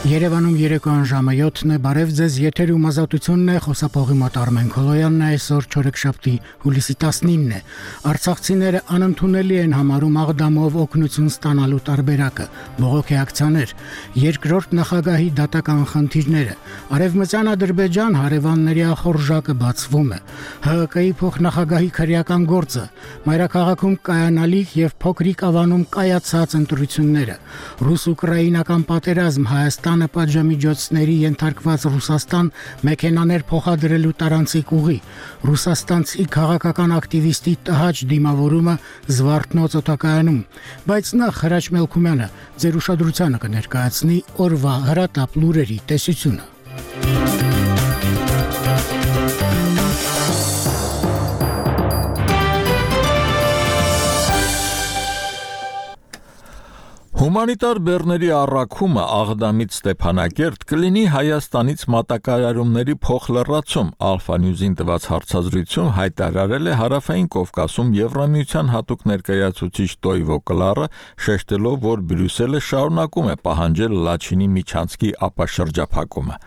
Երևանում երեկոյան ժամը 7-ն է, բարև ձեզ, եթերում ազատությունն է, խոսափողի մոտ Արմեն Քոլոյանն է, այսօր չորեքշաբթի հուլիսի 19-ն է։ Արցախցիները անընդունելի են համարում Աղդամով օգնություն ստանալու տարբերակը, բողոքի ակցիաներ, երկրորդ նախագահի դատական խնդիրները, Արևմտյան Ադրբեջան հարևանների ախորժակը բացվում է, ՀՀԿ-ի փոխնախագահի քրեական գործը, մայրաքաղաքում կայանալիք եւ փոքրիկ ավանում կայացած ընտրությունները, ռուս-ուկրաինական պատերազմ, Հայաստանը պատժամիջոցների ենթարկված Ռուսաստան մեքենաներ փոխադրելու տարանցիկ ուղի, ռուսաստանցի քաղաքական ակտիվիստի տհաճ դիմավորումը Զվարթնոց օդակայանում, բայց նախ Հրաչ Մելքումյանը ձեր ուշադրությանը կներկայացնի օրվա հրատապ լուրերի տեսությունը։ Հումանիտար բեռների առաքումը Աղդամից Ստեփանակերտ կլինի Հայաստանից մատակարարումների փոխլրացում, Alpha News-ին տված հարցազրույցում հայտարարել է Հարավային Կովկասում Եվրամիության հատուկ ներկայացուցիչ Տոյվո Կլարը, շեշտելով, որ Բրյուսելը շարունակում է պահանջել Լաչինի միջանցքի ապաշրջափակումը։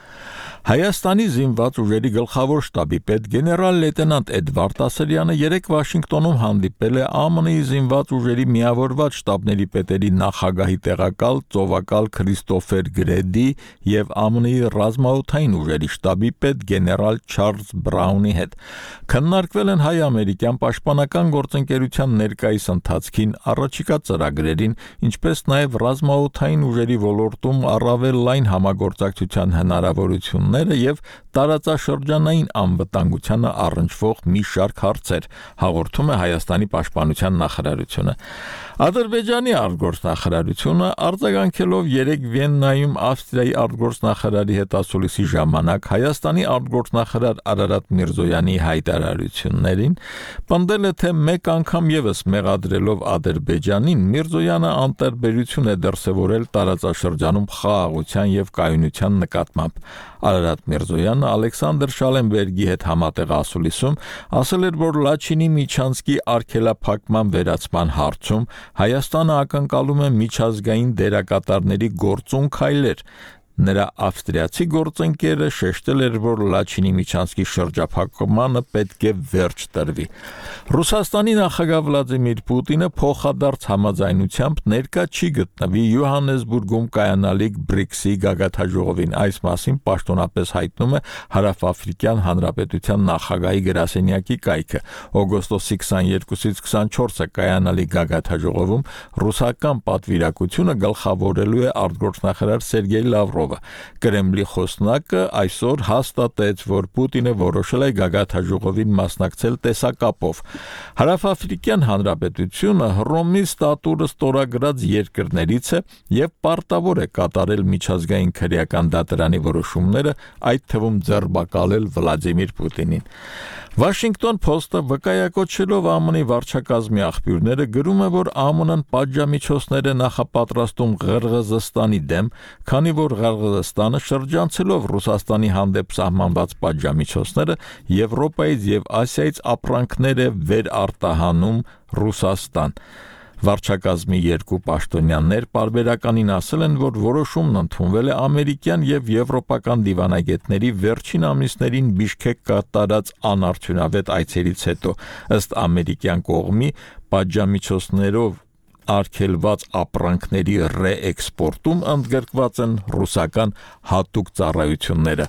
Հայաստանի զինված ուժերի գլխավոր շտաբի պետ գեներալ լեյտենանտ Էդվարդ Ասրյանը երեկ Վաշինգտոնում հանդիպել է ԱՄՆ-ի զինված ուժերի միավորված շտաբների պետերի նախագահի տեղակալ ծովակալ Քրիստոֆեր Գրեդի եւ ԱՄՆ-ի ռազմաօդային ուժերի շտաբի պետ գեներալ Չարլզ Բրաունի հետ։ Քննարկվել են հայ-ամերիկյան պաշտպանական գործընկերության ներկայիս ընթացքին, առաջիկա ծրագրերին, ինչպես նաեւ ռազմաօդային ուժերի ոլորտում առավել լայն համագործակցության հնարավորություն եւ տարածաշրջանային անվտանգությանը առնչվող մի շարք հարցեր, հաղորդում է Հայաստանի պաշտպանության նախարարությունը։ Ադրբեջանի արտգործնախարարությունը արձագանքելով երեկ Վիեննայում Ավստրիայի արտգործնախարարի հետ ասուլիսի ժամանակ Հայաստանի արտգործնախարար Արարատ Միրզոյանի հայտարարություններին, պնդել է, թե մեկ անգամ եւս մեղադրելով Ադրբեջանին, Միրզոյանը անտարբերություն է դրսևորել տարածաշրջանում խաղաղության եւ կայունության նկատմամբ։ Արարատ Միրզոյանը Ալեքսանդր Շալենբերգի հետ համատեղ ասուլիսում ասել էր, որ Լաչինի միջանցքի արգելափակման վերացման հարցում Հայաստանը ակնկալում է միջազգային դերակատարների գործուն քայլեր։ Նրա ավստրիացի գործընկերը շեշտել էր, որ Լաչինի միջանցքի շրջափակմանը պետք է վերջ տրվի։ Ռուսաստանի նախագահ Վլադիմիր Պուտինը փոխադարձ համաձայնությամբ ներկա չի գտնվի Յոհաննեսբուրգում կայանալիք BRICS-ի գագաթնաժողովին։ Այս մասին պաշտոնապես հայտնում է Հարավաֆրիկյան Հանրապետության նախագահի գրասենյակի կայքը։ Օգոստոսի 22-ից 24-ը կայանալիք գագաթնաժողովում ռուսական պատվիրակությունը գլխավորելու է արտգործնախարար Սերգեյ Լավրովը։ Կրեմլի խոսնակը այսօր հաստատեց, որ Պուտինը որոշել է գագաթնաժողովին մասնակցել տեսակապով։ Հարավաֆրիկյան Հանրապետությունը Հռոմի ստատուտը ստորագրած երկրներից է եւ պարտավոր է կատարել միջազգային քրեական դատարանի որոշումները, այդ թվում ձեռբակալել Վլադիմիր Պուտինին։ Washington Post-ը վկայակոչելով ԱՄՆ-ի վարչակազմի աղբյուրները գրում է, որ ԱՄՆ-ն պատժամիջոցներ է նախապատրաստում Ղրղըզստանի դեմ, քանի որ Ղրղըզստանը շրջանցելով Ռուսաստանի հանդեպ սահմանված պատժամիջոցները Եվրոպայից եւ Ասիայից ապրանքներ է վերարտահանում Ռուսաստան։ Վարչակազմի երկու պաշտոնյաներ պարբերականին ասել են, որ որոշումն ընդունվել է ամերիկյան եւ եվրոպական դիվանագետների վերջին ամիսներին Բիշքեկ կատարած անարդյունավետ այցերից հետո, ըստ ամերիկյան կողմի պատժամիջոցներով արգելված ապրանքների ռեէքսպորտում ընդգրկված են ռուսական հատուկ ծառայությունները։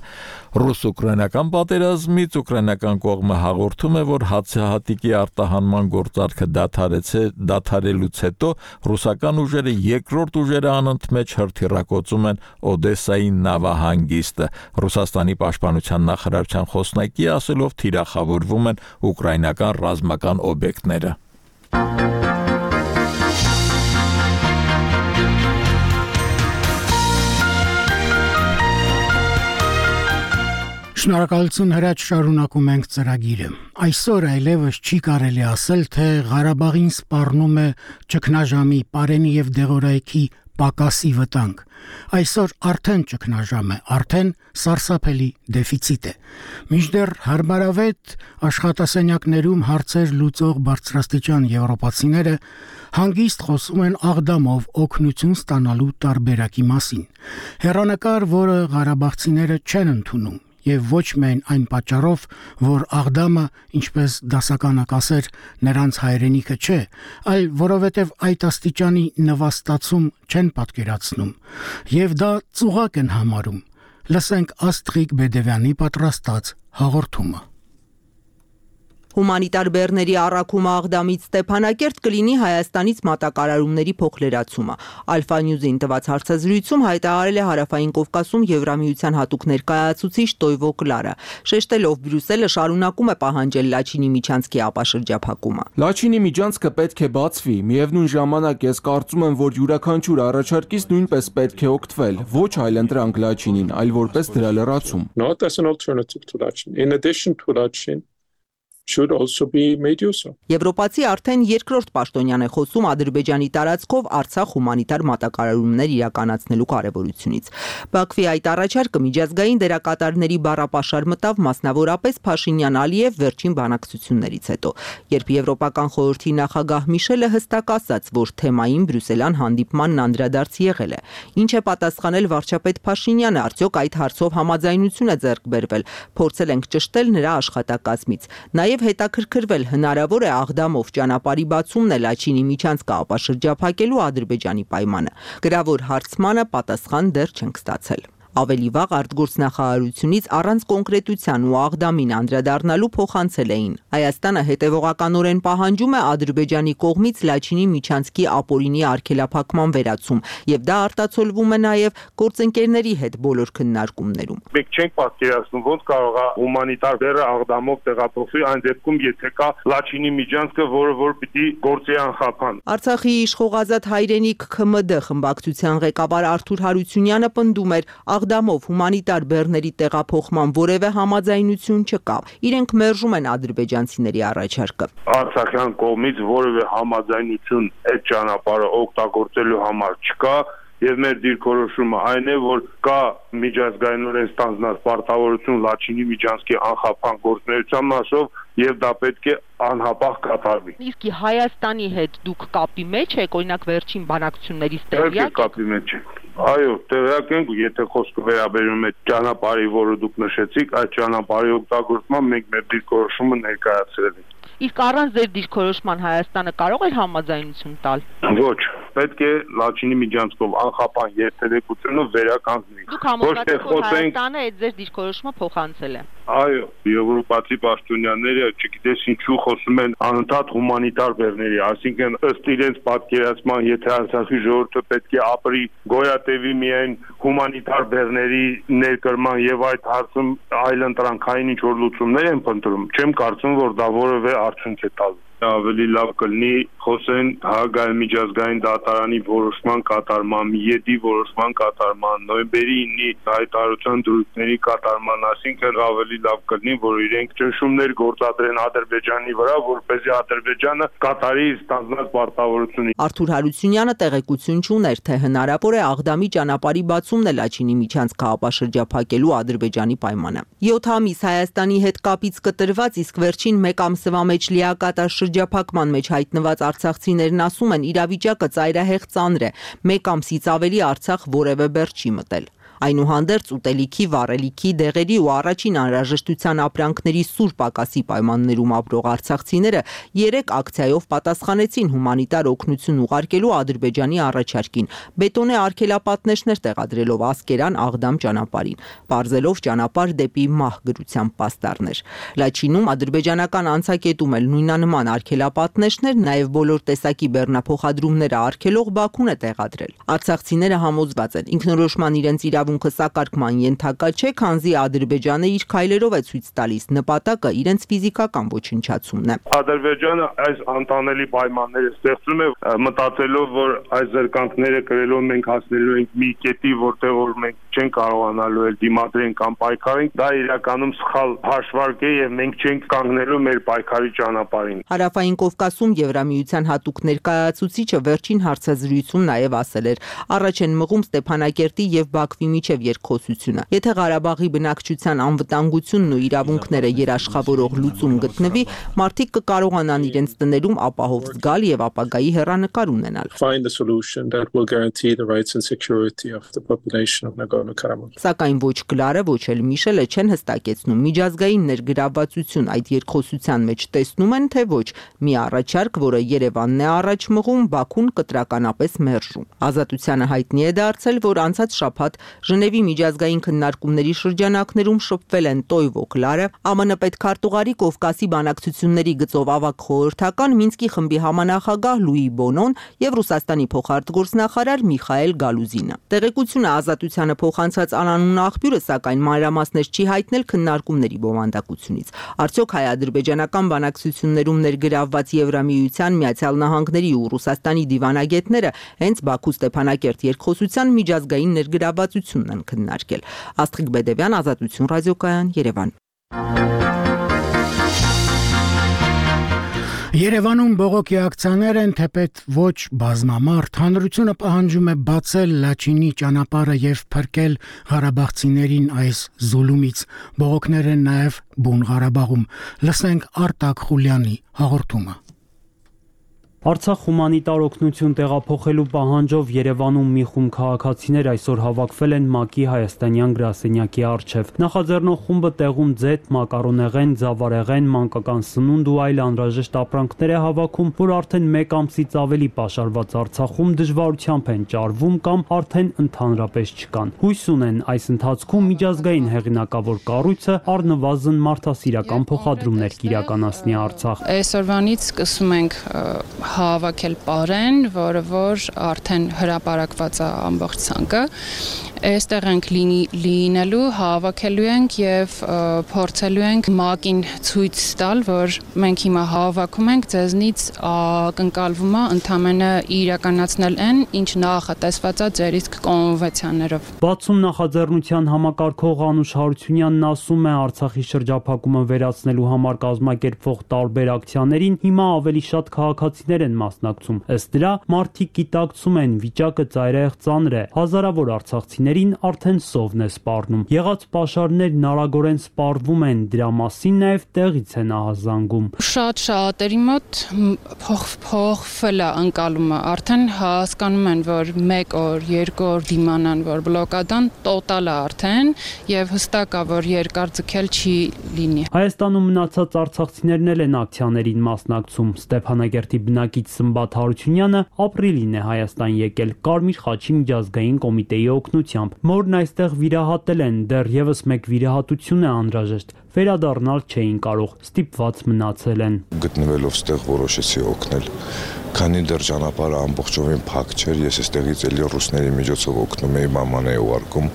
Ռուս-ուկրաինական պատերազմից ուկրաինական կողմը հաղորդում է, որ հացահատիկի արտահանման գործարքը դադարելուց հետո ռուսական ուժերը երկրորդ ուժերը անընդմեջ հրթիռակոծում են Օդեսայի նավահանգիստը։ Ռուսաստանի պաշտպանության նախարարության խոսնակի ասելով թիրախավորվում են ուկրաինական ռազմական օբյեկտները։ Շնորհակալություն Հրաչ, շարունակում ենք ծրագիրը։ Այսօր այլևս չի կարելի ասել, թե Ղարաբաղին սպառնում է ճգնաժամի, Պարենի եւ Դեղորայքի պակասի վտանգ։ Այսօր արդեն ճգնաժամ է, արդեն սարսափելի դեֆիցիտ է։ Մինչդեռ հարմարավետ աշխատասենյակներում հարցեր լուծող բարձրաստիճան եվրոպացիները հանգիստ խոսում են աղդամով օգնություն ստանալու տարբերակի մասին։ Հեռանկար, որը ղարաբաղցիները չեն ընդունում, եւ ոչ միայն այն պատճառով, որ աղդամը, ինչպես դասականը կասեր, նրանց հայրենիքը չէ, այլ որովհետեւ այդ աստիճանի նվաստացում չեն պատկերացնում, եւ դա ծուղակ են համարում։ Լսենք Աստղիկ Բեդևյանի պատրաստած հաղորդումը։ Հումանիտար բեռների առաքումը Աղդամից Ստեփանակերտ կլինի Հայաստանից մատակարարումների փոխլերացումը։ Ալֆա Նյուզին տված հարցազրույցում հայտարարել է Հարավային Կովկասում Եվրամիության հատուկ ներկայացուցիչ Տոյվո Կլարը, շեշտելով Բրյուսելը շարունակում է պահանջել Լաչինի միջանցքի ապաշրջափակումը։ Լաչինի միջանցքը պետք է բացվի, միևնույն ժամանակ ես կարծում եմ, որ յուրաքանչյուր առաջարկից նույնպես պետք է օգտվել, ոչ այլընտրանք Լաչինին, այլ որպես դրա լրացում։ Not as an alternative to Lachin. In addition to Lachin, should also be made use of. Եվրոպացի արդեն երկրորդ պաշտոնյան է խոսում Ադրբեջանի տարածքով Արցախ հումանիտար մատակարարումներ իրականացնելու կարևորությունից։ Բաքվի այդ առաջարկը միջազգային դերակատարների բառապաշար մտավ մասնավորապես Փաշինյան-Ալիև վերջին բանակցություններից հետո, երբ Եվրոպական խորհրդի նախագահ Միշելը հստակ ասաց, որ թեմային Բրյուսելյան հանդիպմանն անդրադարձ եղել է։ Ինչ է պատասխանել վարչապետ Փաշինյանը, արդյոք այդ հարցով համաձայնություն է ձեռք բերվել։ Փորձել ենք ճշտել նրա աշխատակազմից։ Նաև հետաքրքրվել հնարավոր է Աղդամով ճանապարհի բացումն է Լաչինի միջանցքը ապաշրջափակելու Ադրբեջանի պայմանը։ Գրավոր հարցմանը պատասխան դեռ չենք ստացել։ Ավելի վաղ արտգործնախարարությունից առանց կոնկրետության ու Աղդամին անդրադառնալու փոխանցել էին։ Հայաստանը հետևողականորեն պահանջում է Ադրբեջանի կողմից Լաչինի միջանցքի ապօրինի արգելափակման վերացում, եւ դա արտացոլվում է նաեւ գործընկերների հետ բոլոր քննարկումներում։ Մենք չենք պատկերացնում ոնց կարող է հումանիտար բեռը Աղդամով տեղափոխվի այն դեպքում, եթե կա Լաչինի միջանցքը, որ պիտի գործի անխափան։ Արցախի իշխող Ազատ հայրենիք ՔՄԴ խմբակցության ղեկավար Արթուր Հարությունյանը պնդում էր, Աղդամով հումանիտար բեռների տեղափոխման որևէ համաձայնություն չկա։ Իրենք մերժում են ադրբեջանցիների առաջարկը։ Արցախյան կողմից որևէ համաձայնություն այդ ճանապարհը օգտագործելու համար չկա։ Եվ մեր դիրքորոշումը այն է, որ կա միջազգայինորեն ստանձնած պարտավորություն Լաչինի միջանցքի անխափան գործունեության մասով եւ դա պետք է անհապաղ կատարվի։ Իսկ Հայաստանի հետ դուք կապի մեջ եք, օրինակ վերջին բանակցություններից տեղյակ եք։ Կապի մեջ ենք։ Այո, տեղյակ ենք, եթե խոսքը վերաբերում է ճանապարհի, որը դուք նշեցիք, այդ ճանապարհի օգտագործման մենք մեր դիրքորոշումը ներկայացրել ենք։ Իսկ առանց ձեր դիրքորոշման Հայաստանը կարող է համաձայնություն տալ։ Ոչ, պետք է Լաչինի միջանցքով անխափան երթևեկությունը վերականգնի։ Դուք համոզված եք, որ Հայաստանը այդ ձեր դիրքորոշումը փոխանցել է։ Այո, եվրոպացի պաշտոնյաները չգիտես ինչու խոսում են անընդհատ հումանիտար բեռների, այսինքն ըստ իրենց պատկերացման, եթե Արցախի ժողովուրդը պետք է ապրի գոյատևի միայն հումանիտար բեռների ներկրման եւ այդ հարցում այլընտրանքային ինչ որ լուծումներ են փնտրում, չեմ կարծում, որ դա որևէ արդյունք է տալու։ Ավելի լավ կլինի խոսեն Հաագայի միջազգային դատարանի որոշման կատարման, Միեդի որոշման կատարման, նոյեմբերի 9-ի հայտարարության դրույթների կատարման, այսինքն ավելի լավ կլինի, որ իրենք ճնշումներ գործադրեն Ադրբեջանի վրա, որպեսզի Ադրբեջանը կատարի ստանձնած պարտավորությունը։ Արթուր Հարությունյանը տեղեկություն չուներ, թե հնարավոր է Աղդամի ճանապարհի բացումն է Լաչինի միջանցքը ապաշրջափակելու Ադրբեջանի պայմանը։ 7 ամիս Հայաստանի հետ կապից կտրված, իսկ վերջին 1 ամսվա մեջ լիակատար շրջափակման մեջ հայտնված արցախցիներն ասում են, իրավիճակը ծայրահեղ ծանր է, 1 ամսից ավելի Արցախ որևէ բեռ չի մտել։ Այնուհանդերձ ուտելիքի, վառելիքի, դեղերի ու առաջին անհրաժեշտության ապրանքների սուր պակասի պայմաններում ապրող արցախցիները 3 ակցիայով պատասխանեցին հումանիտար օգնություն ուղարկելու Ադրբեջանի առաջարկին, բետոնե արգելապատնեշներ տեղադրելով Ասկերան Աղդամ ճանապարհին, բարձելով ճանապարհ դեպի մահ գրությամբ պաստառներ։ Լաչինում ադրբեջանական անցակետում էլ նույնանման արգելապատնեշներ, նաև բոլոր տեսակի բեռնափոխադրումները արգելող Բաքուն է տեղադրել։ Արցախցիները համոզված են, ինքնորոշման իրենց իրավունք իրավունքը սակարկման ենթակա չէ, քանզի Ադրբեջանը իր քայլերով է ցույց տալիս նպատակը իրենց ֆիզիկական ոչնչացումն է։ Ադրբեջանը այս անտանելի պայմանները ստեղծում է մտածելով, որ այս զրկանքները կրելով մենք հասնելու ենք մի կետի, որտեղ որ մենք չենք կարողանալու էլ դիմադրենք կամ պայքարենք, դա իրականում սխալ հաշվարկ է եւ մենք չենք կանգնելու մեր պայքարի ճանապարհին։ Հարավային Կովկասում Եվրամիության հատուկ ներկայացուցիչը վերջին հարցազրույցում նաեւ ասել էր. առաջ են մղում Ստեփանակերտի եւ Բաքվի միջև երկխոսությունը։ Եթե Ղարաբաղի բնակչության անվտանգությունն ու իրավունքները երաշխավորող լուծում գտնվի, մարդիկ կկարողանան իրենց տներում ապահով զգալ եւ ապագայի հեռանկար ունենալ։ Find a solution that will guarantee the rights and security of the population of Nagorno-Karabakh. Սակայն ոչ Կլարը, ոչ էլ Միշելը չեն հստակեցնում միջազգային ներգրավվածություն այդ երկխոսության մեջ տեսնում են, թե ոչ։ Մի առաջարկ, որը Երևանն է առաջ մղում, Բաքուն կտրականապես մերժում։ Ազատությանը հայտնի է դարձել, որ անցած շաբաթ Ժնևի միջազգային քննարկումների շրջանակներում շփվել են Տոյվո Կլարը, ԱՄՆ պետքարտուղարի Կովկասի բանակցությունների գծով ավագ խորհրդական Մինսկի խմբի համանախագահ Լուի Բոնոն եւ Ռուսաստանի փոխարտգործնախարար Միխայել Գալուզինը։ Տեղեկությունը Ազատությանը փոխանցած անանուն աղբյուրը սակայն մանրամասներ չի հայտնել քննարկումների բովանդակությունից։ Արդյոք հայ-ադրբեջանական բանակցություններում ներգրավված Եվրամիության, Միացյալ Նահանգների ու Ռուսաստանի դիվանագետները հենց Բաքու-Ստեփանակերտ երկխոսության միջազգային ներգրավվածությունն են քննարկել։ Աստղիկ Բեդևյան, Ազատություն ռադիոկայան, Երևան։ Երևանում բողոքի ակցիաներ են, թեպետ ոչ բազմամարդ, հանրությունը պահանջում է բացել Լաչինի ճանապարհը եւ փրկել ղարաբաղցիներին այս զուլումից։ Բողոքներ են նաեւ Բուն Ղարաբաղում։ Լսենք Արտակ Խուլյանի հաղորդումը։ Արցախ հումանիտար օգնություն տեղափոխելու պահանջով Երևանում մի խումբ քաղաքացիներ այսօր հավաքվել են ՄԱԿ-ի հայաստանյան գրասենյակի առջև։ Նախաձեռնող խումբը տեղում ձեթ, մակարոնեղեն, ձավարեղեն, մանկական սնունդ ու այլ անհրաժեշտ ապրանքներ է հավաքում, որ արդեն 1 ամսից ավելի պաշարված Արցախում դժվարությամբ են ճարվում կամ արդեն ընդհանրապես չկան։ Հույս ունեն այս ընթացքում միջազգային հեղինակավոր կառույցը առնվազն մարդասիրական փոխադրումներ կիրականացնի Արցախ։ Այսօրվանից սկսում ենք հավաքել պարեն, որը որ արդեն հրապարակված է ամբողջ ցանկը։ Այստեղ ենք լինելու, հավաքելու ենք եւ փորձելու ենք ՄԱԿ-ին ցույց տալ, որ մենք հիմա հավաքում ենք, ձեզնից ակնկալվում է ընդամենը իրականացնել այն, ինչ նախատեսված է ձեր իսկ կոնվենցիաներով։ Բացում նախաձեռնության համակարգող Անուշ Հարությունյանն ասում է, Արցախի շրջափակումը վերացնելու համար կազմակերպվող տարբեր ակցիաներին հիմա ավելի շատ քաղաքացիներ են մասնակցում։ Ըստ դրա, մարդիկ գիտակցում են, վիճակը ծայրահեղ ծանր է, հազարավոր արցախցիներ արդեն սովն է սպառնում։ Եղած պաշարներն արագորեն սպառվում են, դրա մասին նաև տեղից են ահազանգում։ Շատ-շատերի մոտ փոխվել է ընկալումը, արդեն հասկանում են, որ 1 օր, 2 օր դիմանան, որ բլոկադան տոտալ է արդեն եւ հստակ է, որ երկար ձգել չի լինի։ Հայաստանում մնացած արցախցիներն էլ են ակցիաներին մասնակցում։ Ստեփանակերտի բնակիչ Սմբատ Հարությունյանը ապրիլին է Հայաստան եկել Կարմիր խաչի միջազգային կոմիտեի օգնությամբ։ Մորն այստեղ վիրահատել են, դեռևս մեկ վիրահատություն է անհրաժեշտ, վերադառնալ չէին կարող, ստիպված մնացել են։ Գտնվելով ստեղ որոշեցի օգնել, քանի դեռ ճանապարհը ամբողջովին փակ չէր, ես էստեղից էլի ռուսների միջոցով օգնում էի, մաման էի ուղարկում,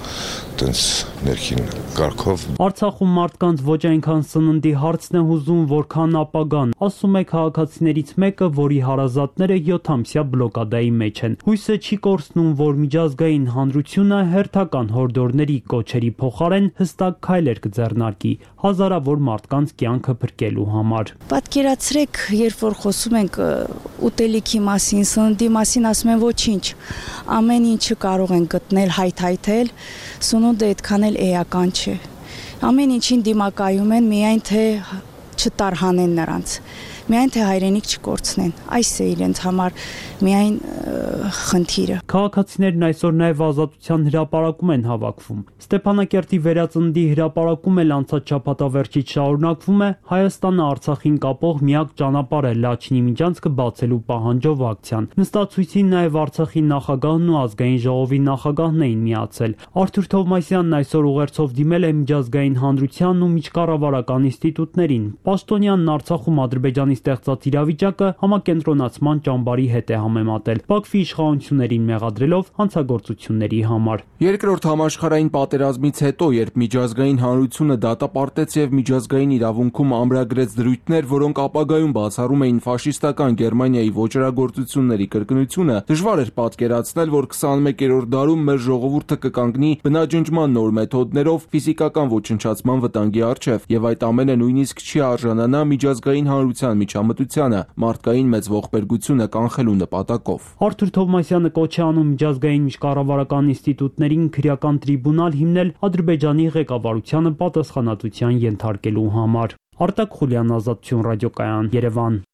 տենց ներքին կարգով։ Արցախում մարդկանց ոչ այնքան սննդի հարցն է հուզում, որքան ապագան, ասում է քաղաքացիներից մեկը, որի հարազատները 7-ամսյա բլոկադայի մեջ են։ Հույսը չի կորցնում, որ միջազգային հանրությունը հերթական հորդորների կոչերի փոխարեն հստակ քայլեր կձեռնարկի հազարավոր մարդկանց կյանքը փրկելու համար։ Պատկերացրեք, երբ որ խոսում ենք ուտելիքի մասին, սննդի մասին, ասում են ոչինչ, ամեն ինչը կարող են գտնել, հայթայթել, սնունդը այդքան էլ էական չէ։ Ամեն ինչին դիմակայում են, միայն թե չտարհանեն նրանց, միայն թե հայրենիք չկորցնեն։ Այս է իրենց համար միայն խնդիրը։ Քաղաքացիներն այսօր նաև ազատության հրապարակում են հավաքվում։ Ստեփանակերտի վերածնդի հրապարակում էլ անցած շաբաթավերջից շարունակվում է Հայաստանը Արցախին կապող միակ ճանապարհը Լաչինի միջանցքը բացելու պահանջով ակցիան։ Նստացույցին նաև Արցախի նախագահն ու ազգային ժողովի նախագահն էին միացել։ Արթուր Թովմասյանն այսօր ուղերձով դիմել է միջազգային հանրությանն ու միջկառավարական ինստիտուտներին։ Պաշտոնյանն Արցախում Ադրբեջանի ստեղծած իրավիճակը համակենտրոնացման ճամբարի հետ է համեմատել, Բաքվի իշխանություններին մեղադրելով հանցագործությունների համար։ Երկրորդ համաշխարհային պատերազմից հետո, երբ միջազգային հանրությունը դատապարտեց եւ միջազգային իրավունքում ամրագրեց դրույթներ, որոնք ապագայում բացառում էին ֆաշիստական Գերմանիայի ոճրագործությունների կրկնությունը, դժվար էր պատկերացնել, որ 21-րդ դարում մեր ժողովուրդը կկանգնի բնաջնջման նոր մեթոդներով ֆիզիկական ոչնչացման վտանգի առջև, եւ այդ ամենը նույնիսկ չի արժանանա միջազգային հանրության միջամտությանը մարդկային մեծ ողբերգությունը կանխելու նպատակով։ Արթուր Թովմասյանը կոչ է անում միջազգային միջկառավարական ինստիտուտներին քրեական տրիբունալ հիմնել Ադրբեջանի ղեկավարությանը պատասխանատվության ենթարկելու համար։ Արտակ Խուլյան, Ազատություն ռադիոկայան, Երևան։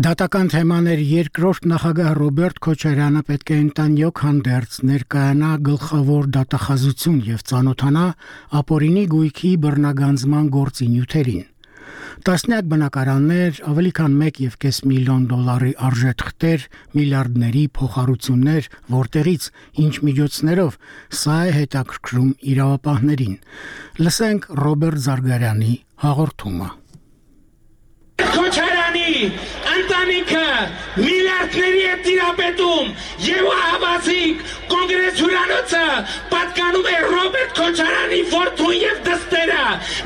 Դատական թեմաներ երկրորդ նախագահ Ռոբերտ Քոչարյանը պետք է ընտանյոք հանդերձ ներկայանա գլխավոր դատախազություն եւ ծանոթանա ապօրինի գույքի բռնագանձման գործի նյութերին։ Տասնյակ բնակարաններ, ավելի քան 1.5 միլիոն դոլարի արժեթղթեր, միլիարդների փոխհարություններ, որտեղից ինչ միջոցներով, սա է հետաքրքրում իրավապահներին։ Լսենք Ռոբերտ Զարգարյանի հաղորդումը։ Քոչարյանի ընտանիքը միլիարդների է տիրապետում եւ հավասիկ կոնգրես հյուրանոցը պատկանում է Ռոբերտ Քոչարյանի որդուն եւ դստերը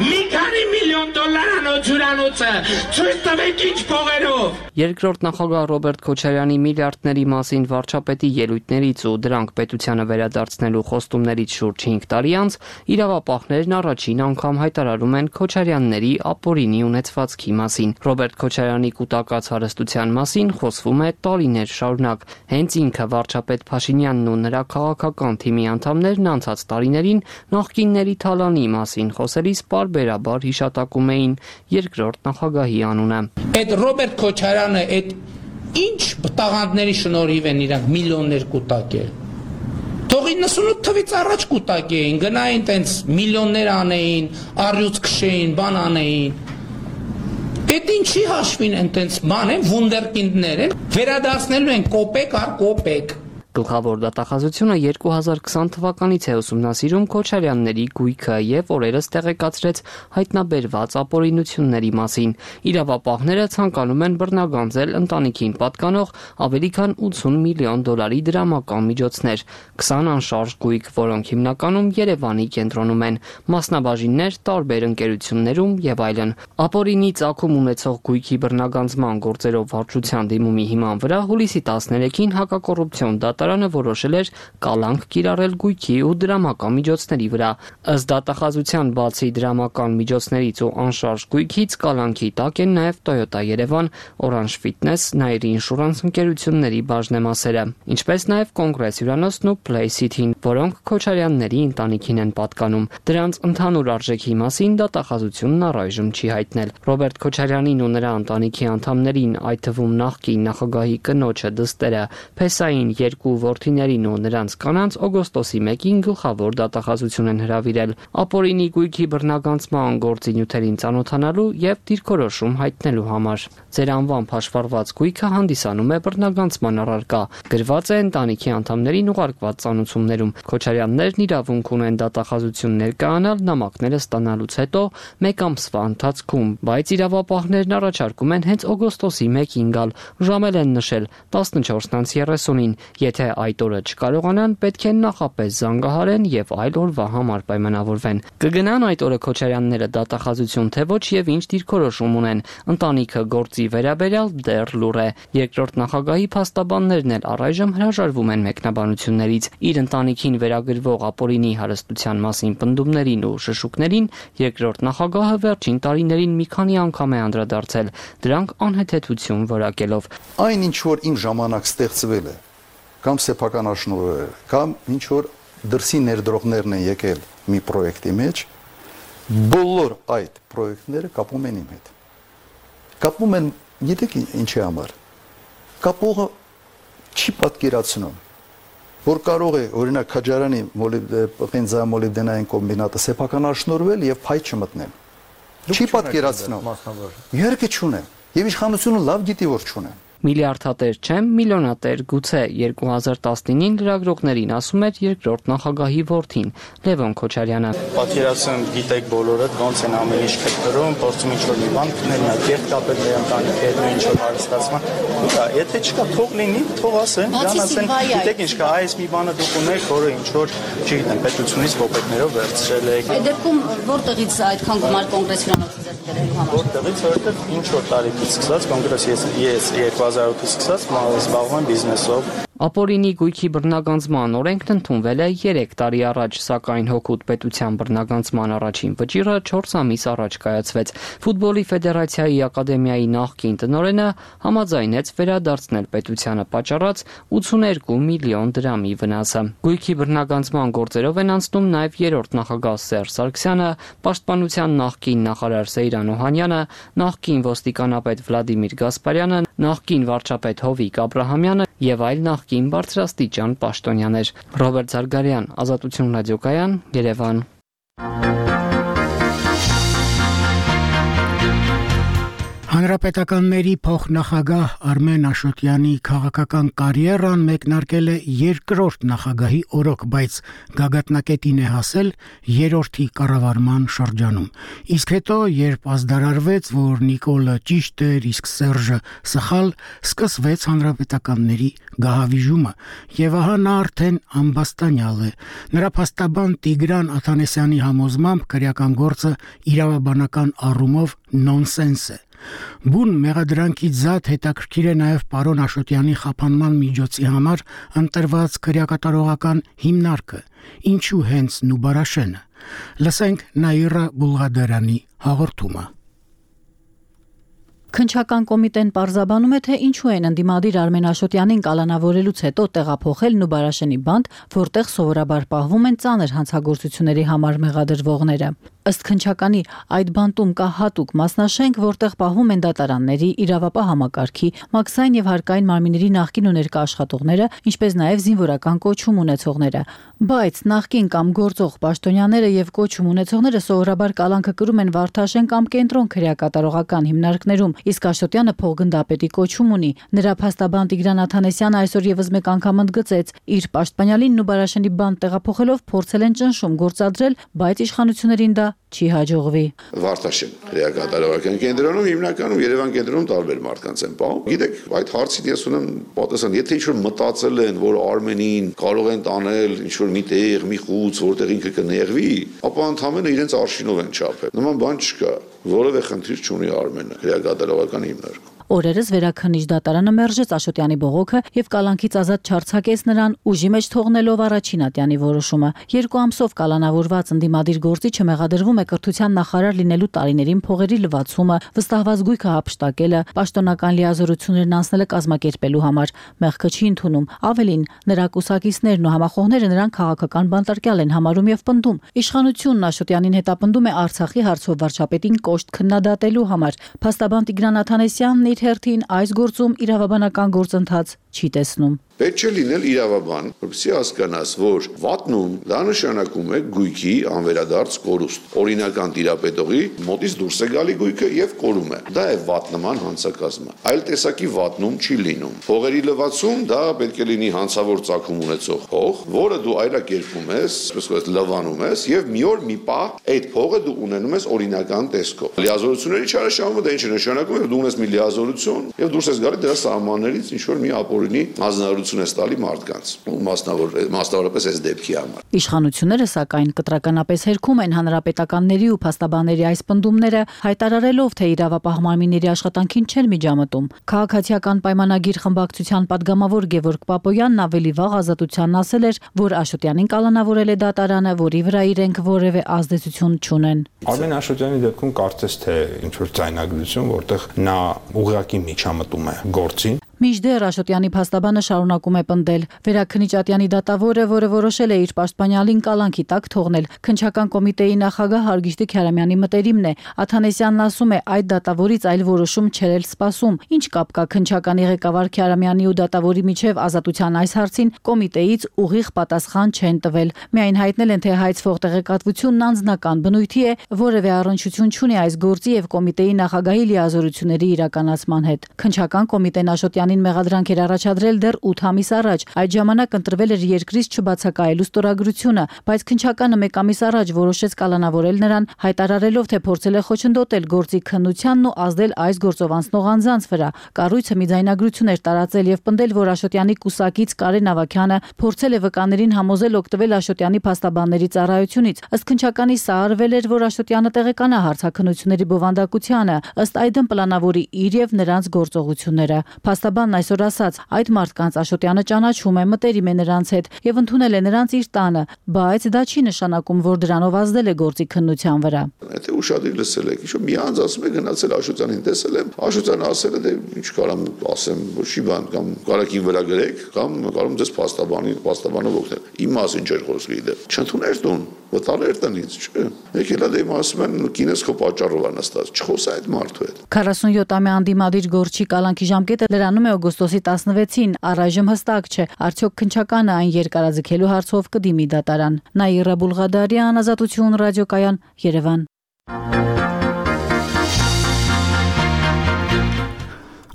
մի քանի միլիոն դոլարանոց հյուրանոցը ցույց տվեք ինչ փողերով։ Երկրորդ նախագահ Ռոբերտ Քոչարյանի միլիարդների մասին վարչապետի ելույթներից ու դրանք պետությանը վերադարձնելու խոստումներից շուրջ 5 տարի անց իրավապահներն առաջին անգամ հայտարարում են Քոչարյանների ապօրինի ունեցվածքի մասին։ Ռոբերտ Քոչարյանի կուտակած հարստության մասին խոսվում է տարիներ շարունակ։ Հենց ինքը վարչապետ Փաշինյանն ու նրա քաղաքական թիմի անդամներն անցած տարիներին նախկինների թալանի մասին խոսելիս պարբերաբար հիշատակում էին երկրորդ նախագահի անունը։ Այդ Ռոբերտ Քոչարյանը այդ ինչ տաղանդների շնորհիվ են իրանք միլիոններ կուտակել։ Թող 98 թվից առաջ կուտակեին, գնային տենց միլիոններ անեին, առյուծ քշեին, բան անեին։ Այդ ինչի հաշվին են տենց բան են, վունդերկինդներ են, վերադարձնելու են կոպեկ առ կոպեկ։ Գլխավոր դատախազությունը 2020 թվականից է ուսումնասիրում Քոչարյանների գույքը եւ օրերս տեղեկացրեց հայտնաբերված ապօրինությունների մասին։ Իրավապահները ցանկանում են բռնագանձել ընտանիքին պատկանող ավելի քան 80 միլիոն դոլարի դրամական միջոցներ, 20 անշարժ գույք, որոնք հիմնականում Երևանի կենտրոնում են, մասնաբաժիններ տարբեր ընկերություններում եւ այլն։ Ապօրինի ծագում ունեցող գույքի բռնագանձման գործերով վարչության դիմումի հիման վրա հուլիսի 13-ին հակակոռուպցիոն դատարանը որոշել էր կալանք կիրառել գույքի ու դրամական միջոցների վրա։ Ըստ դատախազության բացի դրամական միջոցներից ու անշարժ գույքից կալանքի տակ են նաև Toyota Yerevan, Orange Fitness, Nairi Insurance ընկերությունների բաժնեմասերը, ինչպես նաև Կոնգրես հյուրանոցն ու Play City-ն, որոնք Քոչարյանների ընտանիքին են պատկանում։ Դրանց ընդհանուր արժեքի մասին դատախազությունն առայժմ չի հայտնել։ Ռոբերտ Քոչարյանին ու նրա ընտանիքի անդամներին, այդ թվում նախկին նախագահի կնոջը դստերը, Փեսային երկու որդիներին ու նրանց կանանց օգոստոսի 1-ին գլխավոր դատախազություն են հրավիրել ապօրինի գույքի բռնագանձման գործի նյութերին ծանոթանալու եւ դիրքորոշում հայտնելու համար։ Ձեր անվամբ հաշվառված գույքը հանդիսանում է բռնագանձման առարկա, գրված է ընտանիքի անդամներին ուղարկված ծանուցումներում։ Քոչարյաններն իրավունք ունեն դատախազություն ներկայանալ նամակները ստանալուց հետո 1 ամսվա ընթացքում, բայց իրավապահներն առաջարկում են հենց օգոստոսի 1-ին գալ, ժամել են նշել 14:30-ին։ Եթե այդ օրը չկարողանան, պետք է նախապես զանգահարեն եւ այլ օրվա համար պայմանավորվեն։ Կգնան այդ օրը Քոչարյանները դատախազություն թե ոչ եւ ինչ դիրքորոշում ունեն։ Ընտանիքը գործի վերաբերյալ դեռ լուռ է։ Երկրորդ նախագահի փաստաբաններն էլ առայժմ հրաժարվում են մեկնաբանություններից։ Իր ընտանիքին վերագրվող ապօրինի հարստության մասին պնդումներին ու շշուկներին երկրորդ նախագահը վերջին տարիներին մի քանի անգամ է անդրադարձել, դրանք անհեթեթություն որակելով։ Այն ինչ որ իմ ժամանակ ստեղծվել է, կամ սեփականաշնորհը, կամ ինչ որ դրսի ներդրողներն են եկել մի պրոյեկտի մեջ, բոլոր այդ պրոյեկտները կապում են իմ հետ։ Կապում են, գիտեք ինչի համար։ Կապողը չի պատկերացնում, որ կարող է օրինակ Քաջարյանի բենզամոլիբդենային կոմբինատը սեփականաշնորհվել եւ փայ չմտնել։ Չի պատկերացնում։ Իհարկե չունեմ։ Եվ իշխանությունը լավ գիտի որ չունեմ։ Միլիարդատեր չեմ, միլիոնատեր գուցե 2019-ին լրագրողներին ասում էր երկրորդ նախագահի որդին Լևոն Քոչարյանը։ Պատկերացնում գիտեք բոլորդ ոնց են ամեն ինչ քտրում, փորձում ինչ-որ մի բան գտնել, նա կերտ կապել մեր ընտանիքի հետ, ինչ-որ հարստացման։ Եթե չկա, թող լինի, թող ասեն, դրան ասեն, գիտեք ինչ կա, այս մի բանը դուք ունեք, որը ինչ-որ, չգիտեմ, պետությունից կոպեկներով վերցրել եք։ Այդ դեպքում որտեղից այդքան գումար կոնգրես հյուրանոցը ձեռք բերելու համար։ Որտեղից, որտեղ ինչ-որ տարիքից սկսած կոնգրես ես 2008-ից սկսած զբաղվում եմ բիզնեսով։ Ապօրինի գույքի բռնագանձման օրենքն ընդունվել է 3 տարի առաջ, սակայն հօգուտ պետության բռնագանձման առաջին վճիռը 4 ամիս առաջ կայացվեց։ Ֆուտբոլի ֆեդերացիայի ակադեմիայի նախկին տնօրենը համաձայնեց վերադարձնել պետությանը պատճառած 82 միլիոն դրամի վնասը։ Գույքի բռնագանձման գործերով են անցնում նաև երրորդ նախագահ Սերժ Սարգսյանը, պաշտպանության նախկին նախարար Սեյրան Օհանյանը, նախկին ոստիկանապետ Վլադիմիր Գասպարյանը, նախկին վարչապետ Հովիկ Աբրահամյանը եւ այլ նախկին բարձրաստիճան պաշտոնյաներ։ Ռոբերտ Զարգարյան, Ազատություն ռադիոկայան, Երևան։ Հանրապետականների փոխնախագահ Արմեն Աշոտյանի քաղաքական կարիերան մեկնարկել է երկրորդ նախագահի օրոք, բայց գագաթնակետին է հասել երրորդի կառավարման շրջանում։ Իսկ հետո, երբ ազդարարվեց, որ Նիկոլը ճիշտ էր, իսկ Սերժը սխալ, սկսվեց հանրապետականների գահավիժումը, եւ ահա նա արդեն ամբաստանյալ է։ Նրա փաստաբան Տիգրան Աթանեսյանի համոզմամբ քրեական գործը իրավաբանական առումով նոնսենս է։ Բուն մեղադրանքից զատ հետաքրքիր է նաև պարոն Աշոտյանի խափանման միջոցի համար ընտրված քրեակատարողական հիմնարկը, ինչու հենց Նուբարաշենը։ Լսենք Նաիրա Բուլղադարյանի հաղորդումը։ Քննչական կոմիտեն պարզաբանում է, թե ինչու են ընդդիմադիր Արմեն Աշոտյանին կալանավորելուց հետո տեղափոխել Նուբարաշենի բանտ, որտեղ սովորաբար պահվում են ծանր հանցագործությունների համար մեղադրվողները։ Ըստ քննչականի, այդ բանտում կա հատուկ մասնաշենք, որտեղ պահվում են դատարանների, իրավապահ համակարգի, մաքսային եւ հարկային մարմինների նախկին ու ներկա աշխատողները, ինչպես նաեւ զինվորական կոչում ունեցողները։ Բայց նախկին կամ գործող պաշտոնյաները եւ կոչում ունեցողները սովորաբար կալանքը կրում են Վարդաշեն կամ կենտրոն քրեակատարողական հիմնարկներում, իսկ Աշոտյանը փոխգնդապետի կոչում ունի։ Նրա փաստաբան Տիգրան Աթանեսյանը այսօր եւս մեկ անգամ ընդգծեց, իր պաշտպանյալին Նուբարաշենի բանտ տեղափոխելով փորձել են ճնշում գործադրել, բայց իշխանություններին դա չի հաջողվի։ Վարդաշեն քրեակատարողական կենտրոնում հիմնականում Երևան կենտրոնում տարբեր մարդկանց են պահում։ Գիտեք, այդ հարցին ես ունեմ պատասխան, եթե ինչ-որ մտածել են, որ Արմենին կարող են տանել ինչ-որ մի տեղ, մի խուց, որտեղ ինքը կնեղվի, ապա ընդհանրապես իրենց արշինով են չափել։ Նման բան չկա, որևէ խնդիր չունի Արմենը քրեակատարողական հիմնարկում։ Օրերս վերաքննիչ դատարանը մերժեց Աշոտյանի բողոքը եւ կալանքից ազատ չարձակեց նրան, ուժի մեջ թողնելով առաջին ատյանի որոշումը։ 2 ամսով կալանավորված ընդդիմադիր գործիչը մեղադրվում է կրթության նախարար լինելու տարիներին փողերի լվացումը, վստահված գույքը հափշտակելը, պաշտոնական լիազորություններն անցնելը կազմակերպելու համար։ Մեղքը չի ընդունում։ Ավելին, նրա կուսակիցներն ու համախոհները նրան քաղաքական բանտարկյալ են համարում եւ պնդում։ Իշխանությունն Աշոտյանին հետապնդում է Արցախի հարցով վարչապետին կոշտ քննադատելու համար։ Փաստաբան Տիգրան Աթանեսյանն հերթին այս գործում իրավաբանական գործընթաց չի տեսնում։ Պետք է լինել իրավաբան, որպեսզի հասկանաս, որ վատնում դա նշանակում է գույքի անվերադարձ կորուստ։ Օրինական տիրապետողի մոտից դուրս է գալի գույքը եւ կորում է։ Դա է վատնման հանցակազմը։ Այլ տեսակի վատնում չի լինում։ Փողերի լվացում դա պետք է լինի հանցավոր ծագում ունեցող փող, որը դու այլակերպում ես, այսպես լվանում ես եւ մի օր մի պահ այդ փողը դու ունենում ես օրինական տեսքով։ Լիազորությունների չարաշահումը դա ինչ է նշանակում, որ դու ունես մի լիազորություն եւ դուրս ես գալի դրա սահմաններից ինչ որ մի ապօրինի հանձնարարություն ես տալի մարդկանց, մասնավորապես այս դեպքի համար։ Իշխանությունները սակայն կտրականապես հերքում են հանրապետականների ու փաստաբանների այս պնդումները, հայտարարելով, թե իրավապահ մարմինների աշխատանքին չեն միջամտում։ Քաղաքացիական պայմանագիր խմբակցության падգամավոր Գևորգ Պապոյանն ավելի վաղ Ազատությանն ասել էր, որ Աշոտյանին կալանավորել է դատարանը, որի վրա իրենք որևէ ազդեցություն չունեն։ Արմեն Աշոտյանի դեպքում կարծես թե ինչ որ ձայնագրություն, որտեղ նա ուղղակի միջամտում է գործին։ Մինչդեռ Աշոտյանի փաստաբանը շարունակում է պնդել. Վերաքննիչ Ատյանի դատավորը, որը որոշել է իր պաշտպանյալին կալանքի տակ թողնել, քննչական կոմիտեի նախագահ Հարգիշտի Քյարամյանի մտերիմն է։ Աթանեսյանն ասում է, այդ դատավորից այլ որոշում չէր էլ սպասում։ Ինչ կապ կա քննչականի ղեկավար Քյարամյանի ու դատավորի միջև Ազատության այս հարցին կոմիտեից ուղիղ պատասխան չեն տվել։ Միայն հայտնել են, թե հայցվող տեղեկատվությունն անձնական բնույթի է, որևէ առնչություն չունի այս գործի եւ կոմիտեի նախագահի լիազորությունների իրականացման հետ։ Քննչական կոմիտեն Աշոտյանի Աշոտյանին մեղադրանք էր առաջադրել դեռ 8 ամիս առաջ։ Այդ ժամանակ ընտրվել էր երկրից չբացակայելու ստորագրությունը, բայց քննչականը 1 ամիս առաջ որոշեց կալանավորել նրան, հայտարարելով, թե փորձել է խոչընդոտել գործի քննությանն ու ազդել այս գործով անցնող անձանց վրա։ Կառույցը մի ձայնագրություն էր տարածել եւ պնդել, որ Աշոտյանի կուսակից Կարեն Ավագյանը փորձել է վկաներին համոզել օգտվել Աշոտյանի փաստաբանների ծառայությունից։ Ըստ քննչականի սա արվել էր, որ Աշոտյանը տեղեկանա հարցաքննությունների բովանդակությանը, ըստ այդմ պլանավորի իր եւ նրանց գործողությունները։ Փաստաբանն այսօր ասաց, այդ մարդկանց Աշոտյանը ճանաչում է, մտերիմ է նրանց հետ եւ ընդունել է նրանց իր տանը, բայց դա չի նշանակում, որ դրանով ազդել է գործի քննության վրա։ Եթե ուշադիր լսել եք, ինչ-որ մի անձ ասում է գնացել Աշոտյանին տեսել եմ, Աշոտյանը ասել է, դե ինչ կարամ ասեմ, ոչի բան կամ կարակին վրա գրեք, կամ կարում ձեզ փաստաբանով օգնել։ Իմ մասին չէր խոսքի դե։ Չընդուներ տուն, վտալեր տնից, չէ։ Եկել է դեմ ասում են կինս քո պատճառով է նստած, չխոսա այդ մարդու հետ։ 47-ամյա անդիմադիր Գորչի կալանքի ժամկետը լրանում է օգոստոսի 16-ին, առայժմ հստակ չէ, արդյոք քննչականը այն երկարաձգելու հարցով կդիմի դատարան։ Նաիրա Բուլղադարյան, Ազատություն ռադիոկայան, Երևան։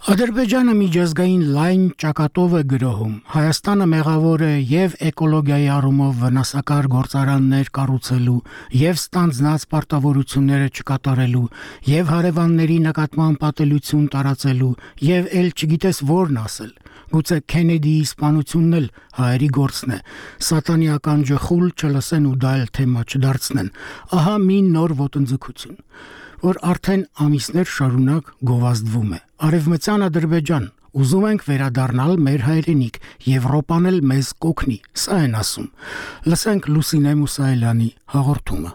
Ադրբեջանը միջազգային լայն ճակատով է գրոհում։ Հայաստանը մեղավոր է եւ էկոլոգիայի առումով վնասակար գործարաններ կառուցելու, եւ ստանձնած պարտավորությունները չկատարելու, եւ հարևանների նկատմամբ պատելություն տարածելու, եւ ել չգիտես որն ասել։ Գուցե Քենեդիի սպանությունն էլ հայերի գործն է։ Սատանիական ջխուլ չլսեն ու դա էլ թեմա չդարձնեն։ Ահա մի նոր ոտնձգություն, որ արդեն ամիսներ շարունակ գովազդվում է։ Արևմտյան Ադրբեջան, ուզում ենք վերադառնալ մեր հայրենիք, Եվրոպան էլ մեզ կօգնի, սա են ասում։ Լսենք Լուսինե Մուսայելյանի հաղորդումը։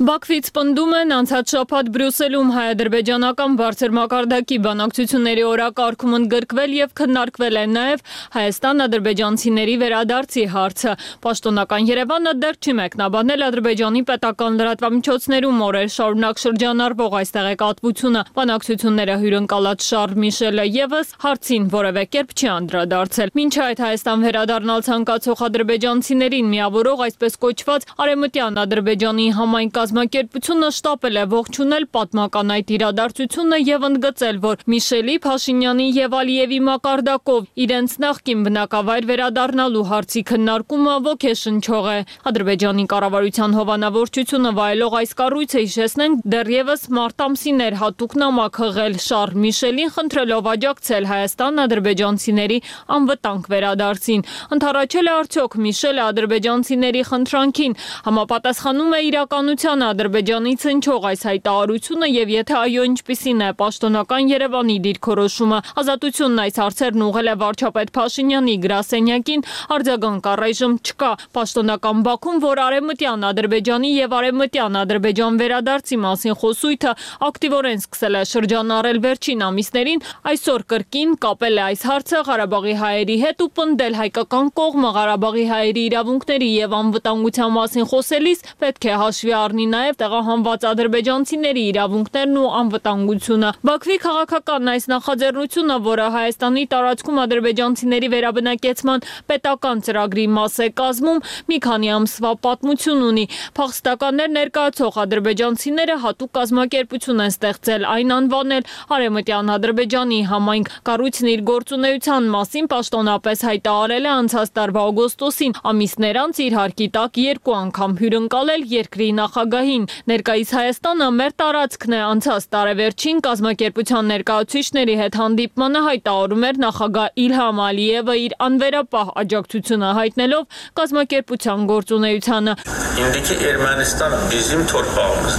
Բաքվից պնդում են անցած շաբաթ Բրյուսելում հայ-ադրբեջանական բարձր մակարդակի բանակցությունների օրակարգում ընդգրկվել եւ քննարկվել է նաեւ Հայաստան-ադրբեջանցիների վերադարձի հարցը։ Պաշտոնական Երևանը դեռ չի մեկնաբանել Ադրբեջանի պետական լրատվամիջոցներում օրեր շարունակ շրջանառվող այս տեղեկատվությունը։ Բանակցությունները հյուրընկալած Շարլ Միշելը եւս հարցին որևէ կերպ չի անդրադարձել։ Մինչ այդ Հայաստան վերադառնալ ցանկացող ադրբեջանցիներին միավորող այսպես կոչված Արևմտյան Ադրբեջանի համայն կազմակերպությունը շտապել է ողջունել պատմական այդ իրադարձությունը եւ ընդգծել, որ Միշելի, Փաշինյանի եւ Ալիևի մակարդակով իրենց նախկին բնակավայր վերադառնալու հարցի քննարկումը ոգեշնչող է։ Ադրբեջանի կառավարության հովանավորչությունը վայելող այս կառույցը, հիշեցնենք, դեռևս մարտ ամսին էր հատուկ նամակ հղել Շարլ Միշելին, խնդրելով աջակցել հայաստան-ադրբեջանցիների անվտանգ վերադարձին։ Ընդառաջել է արդյոք Միշելը ադրբեջանցիների խնդրանքին, համապատասխանում է իրականության Ադրբեջանից հնչող այս հայտարարությունը եւ եթե այո, ինչպիսին է պաշտոնական Երևանի դիրքորոշումը։ Ազատությունն այս հարցերն ուղղել է վարչապետ Փաշինյանի գրասենյակին, արձագանք առայժմ չկա։ Պաշտոնական Բաքուն, որ արևմտյան Ադրբեջանի եւ արևմտյան Ադրբեջան վերադարձի մասին խոսույթը ակտիվորեն սկսել է շրջանառել վերջին ամիսներին, այսօր կրկին կապել է այս հարցը Ղարաբաղի հայերի հետ ու պնդել հայկական կողմը Ղարաբաղի հայերի իրավունքների եւ անվտանգության մասին խոսելիս պետք է հաշվի առնի նաև տեղահանված ադրբեջանցիների իրավունքներն ու անվտանգությունը։ Բաքվի քաղաքական այս նախաձեռնությունը, որը Հայաստանի տարածքում ադրբեջանցիների վերաբնակեցման պետական ծրագրի մաս է կազմում, մի քանի ամսվա պատմություն ունի։ Փախստականներ ներկայացող ադրբեջանցիները հատուկ կազմակերպություն են ստեղծել, այն անվանել Արևմտյան Ադրբեջանի համայնք։ Կառույցն իր գործունեության մասին պաշտոնապես հայտարարել է անցած տարվա օգոստոսին, ամիսներ անց իր հարկի տակ 2 անգամ հյուրընկալել երկրի նախագահին։ Ներկայիս Հայաստանը մեր տարածքն է, անցած տարեվերջին կազմակերպության ներկայացուցիչների հետ հանդիպմանը հայտարարում էր նախագահ Իլհամ Ալիևը իր անվերապահ աջակցությունը հայտնելով կազմակերպության գործունեությանը։ İndiki Ermənistan bizim torpağımız։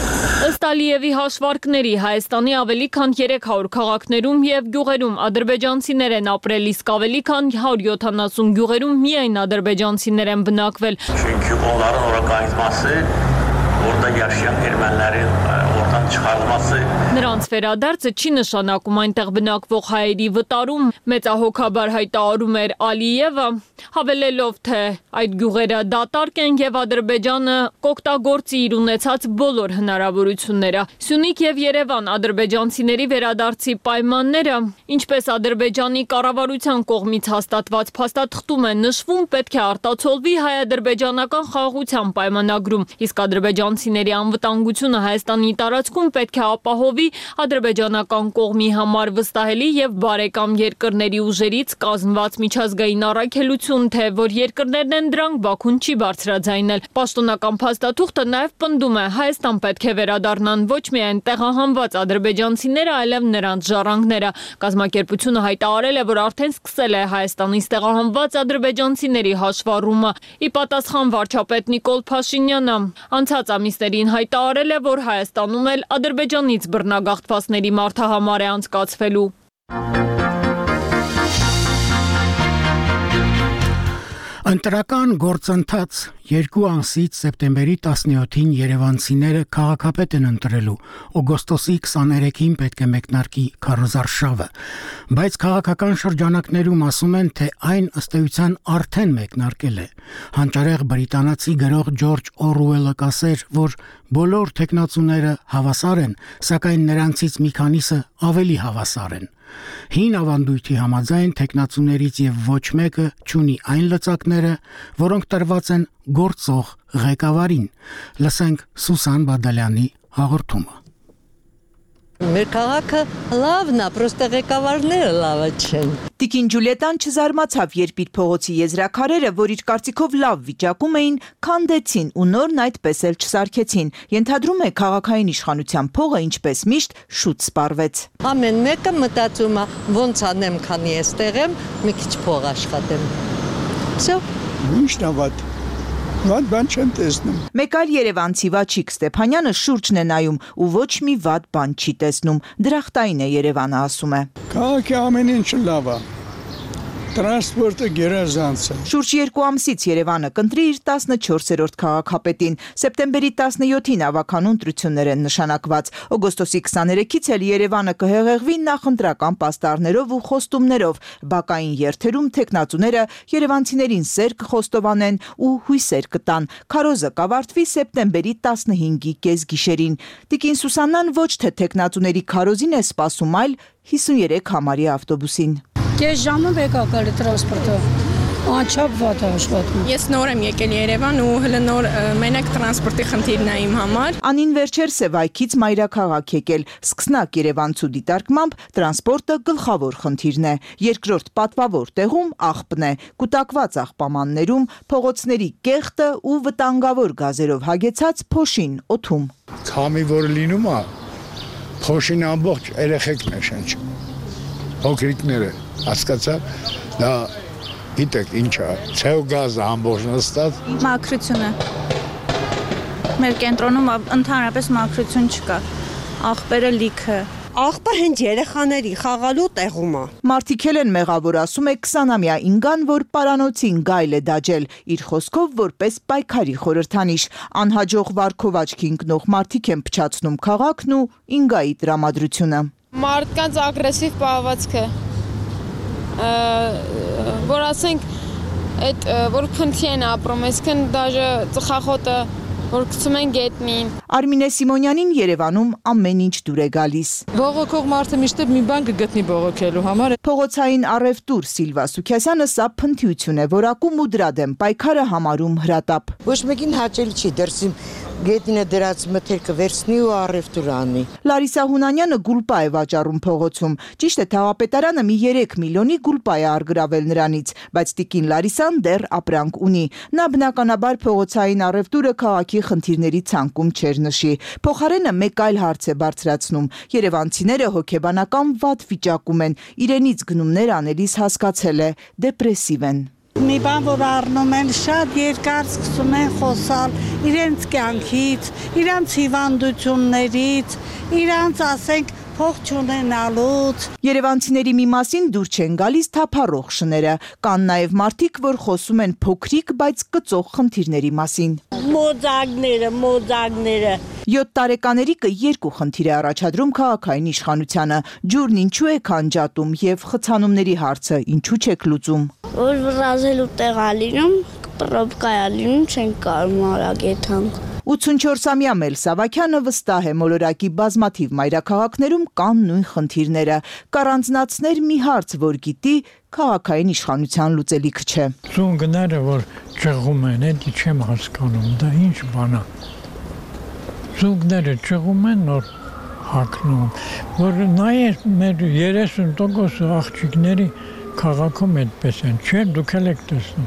Ըստ Ալիևի հաշվարկների Հայաստանի ավելի քան 300 քաղաքներում եւ գյուղերում ադրբեջանցիներ են ապրել, իսկ ավելի քան 170 գյուղերում միայն ադրբեջանցիներ են բնակվել։ Çünki onların ora qayıtması, orada yaşayan ermənilərin oradan çıxarılması Նրանց վերադարձը չի նշանակում այնտեղ բնակվող հայերի վտարում, մեծահոգաբար հայտարարում էր Ալիևը, հավելելով, թե այդ գյուղերը դատարկ են եւ Ադրբեջանը կօգտագործի իր ունեցած բոլոր հնարավորությունները։ Սյունիք եւ Երևան ադրբեջանցիների վերադարձի պայմանները, ինչպես Ադրբեջանի կառավարության կողմից հաստատված փաստաթղթում է նշվում, պետք է արտացոլվի հայ-ադրբեջանական խաղաղության պայմանագրում, իսկ ադրբեջանցիների անվտանգությունը Հայաստանի տարածքում ընթացքում պետք է ապահովի ադրբեջանական կողմի համար վստահելի եւ բարեկամ երկրների ուժերից կազմված միջազգային առաքելություն, թե որ երկրներն են դրանք, Բաքուն չի բարձրաձայնել։ Պաշտոնական փաստաթուղթը նաեւ պնդում է, Հայաստան պետք է վերադառնան ոչ միայն տեղահանված ադրբեջանցիները, այլև նրանց ժառանգները։ Կազմակերպությունը հայտարարել է, որ արդեն սկսել է Հայաստանից տեղահանված ադրբեջանցիների հաշվառումը։ Ի պատասխան վարչապետ Նիկոլ Փաշինյանը անցած ամիսներին հայտարարել է, որ Հայաստանում էլ Ադրբեջանից բռնագաղթվածների մարդահամար է անցկացվելու։ Ընտրական գործընթաց 2 ամսից սեպտեմբերի 17-ին երևանցիները քաղաքապետ են ընտրելու, օգոստոսի 23-ին պետք է մեկնարկի քարոզարշավը, բայց քաղաքական շրջանակներում ասում են, թե այն ըստ էության արդեն մեկնարկել է։ Հանճարեղ բրիտանացի գրող Ջորջ Օրուելը կասեր, որ բոլոր թեկնածուները հավասար են, սակայն նրանցից մի քանիսը ավելի հավասար են։ Հին ավանդույթի համաձայն թեկնածուներից եւ ոչ մեկը չունի այն լծակները, որոնք տրված են գործող ղեկավարին։ Լսենք Սուսան Բադալյանի հաղորդումը։ Մեր քաղաքը լավն է, պրոստը ղեկավարները լավը չեն։ Տիկին Ջուլիետան չզարմացավ, երբ իր փողոցի եզրաքարերը, որ իր կարծիքով լավ վիճակում էին, քանդեցին ու նորն այդպես էլ չսարքեցին։ Ենթադրում է քաղաքային իշխանության փողը ինչպես միշտ շուտ սպառվեց։ Ամեն մեկը մտածում է ոնց անեմ, քանի էստեղ եմ, մի քիչ փող աշխատեմ։ Всё։ Ինչ նավատ։ Վատ բան չեմ տեսնում։ Մեկ այլ երևանցի Վաչիկ Ստեփանյանը շուրջն է նայում ու ոչ մի վատ բան չի տեսնում։ Դրախտային է Երևանը, ասում է։ Քաղաքի ամեն ինչ լավ է։ Տրանսպորտը գերազանց է։ Շուրջ 2 ամսից Երևանը կընտրի իր 14-րդ քաղաքապետին։ Սեպտեմբերի 17-ին ավականու ընտրություններ են նշանակված։ Օգոստոսի 23-ից էլ Երևանը կհեղեղվի նախընտրական պաստառներով ու խոստումներով։ Բակային երթերում թեկնածուները երևանցիներին սեր կխոստովանեն ու հույսեր կտան։ Քարոզը կավարտվի սեպտեմբերի 15-ի կեսգիշերին։ Տիկին Սուսաննան ոչ թե թեկնածուների քարոզին է սպասում, այլ 53 համարի ավտոբուսին։ Կես ժամը վեկ ակալի տրանսպորտով, անչապ վատ է աշխատում։ Ես նոր եմ եկել Երևան ու հələ նոր մենակ տրանսպորտի խնդիրն է իմ համար։ Անին վերջերս է Վայքից մայրաքաղաք եկել, սկսնակ երևանցու դիտարկմամբ տրանսպորտը գլխավոր խնդիրն է։ Երկրորդ պատվավոր տեղում աղբն է, կուտակված աղբամաններում, փողոցների կեղտը ու վտանգավոր գազերով հագեցած փոշին օդում։ Քամի որ լինում է, փոշին ամբողջ երեխեքն է շնչում։ Փոքրիկները, հասկացա, դա գիտեք ինչ է, ցեոգազը ամբողջ նստած։ Մաքրությունը։ Մեր կենտրոնում ընդհանրապես մաքրություն չկա։ Աղբերը լիքը։ Աղբը հենց երեխաների խաղալու տեղում է։ Մարդիկ են մեղավոր, ասում է 20-ամյա Ինգան, որ պարանոցին գայլ է դաջել, իր խոսքով որպես պայքարի խորհրդանիշ։ Անհաջող վարքով աչքի ընկնող մարդիկ են փչացնում քաղաքն ու Ինգայի տրամադրությունը։ Մարդկանց ագրեսիվ պահվածքը, որ ասենք, այդ որ քնթի են ապրում, այսքան դաժե ծխախոտը, որ գցում են գետնին։ Արմինե Սիմոնյանին Երևանում ամեն ինչ դուր է գալիս։ Բողոքող մարդը միշտ մի բան կգտնի բողոքելու համար։ Փողոցային առևտուր Սիլվա Սուքյասյանը սա փնթիություն է, որ ակում ու դրա դեմ պայքարը համարում հրատապ։ Ոչ մեկին հաճելի չի դրսի գետնինը դրած մթերքը վերցնի ու առևտուր անի։ Լարիսա Հունանյանը գուլպա է վաճառում փողոցում։ Ճիշտ է, թաղապետարանը մի 3 միլիոնի գուլպա է արգրավել նրանից, բայց տիկին Լարիսան դեռ ապրանք ունի։ Նա բնականաբար փողոցային առևտուրը քաղաքի խնդիրների ցանկում չեր նշի։ Փոխարենը մեկ այլ հարց է բարձրացնում։ Երևանցիները հոգեբանական վատ վիճակում են, իրենից գնումներ անելիս հասկացել է, դեպրեսիվ են։ Մի բան, որ առնում են, շատ երկար սկսում են խոսալ իրենց կյանքից, իրենց հիվանդություններից, իրենց, ասենք, փող չունենալուց։ Երևանցիների մի մասին դուր չեն գալիս թափառող շները։ Կան նաև մարդիկ, որ խոսում են փոքրիկ, բայց կծող խնդիրների մասին։ Մոձագները։ 7 տարեկաներիկը 2 խնդիր է առաջադրում քաղաքային իշխանությանը։ Ջուրն ինչու է քանջատում եւ խցանումների հարցը ինչու չեք լուծում։ Որ վրազելու տեղ ա լինում, պրոբկա ա լինում, չեն կարում արագ եթանք։ 84-ամյա Մել Սավակյանը վստահ է մոլորակի բազմաթիվ մայրաքաղաքներում կան նույն խնդիրները։ Կառանձնացներ մի հարց, որ գիտի, քաղաքային իշխանության լուծելիք չէ։ Ծունգները, որ ճղում են, էդի չեմ հասկանում, դա ինչ բան է։ Ծունգները ճղում են, նոր հագնում, որ նայես մեր 30% աղջիկների քաղաքում այդպես են, չէ, դուք էլ եք տեսնում,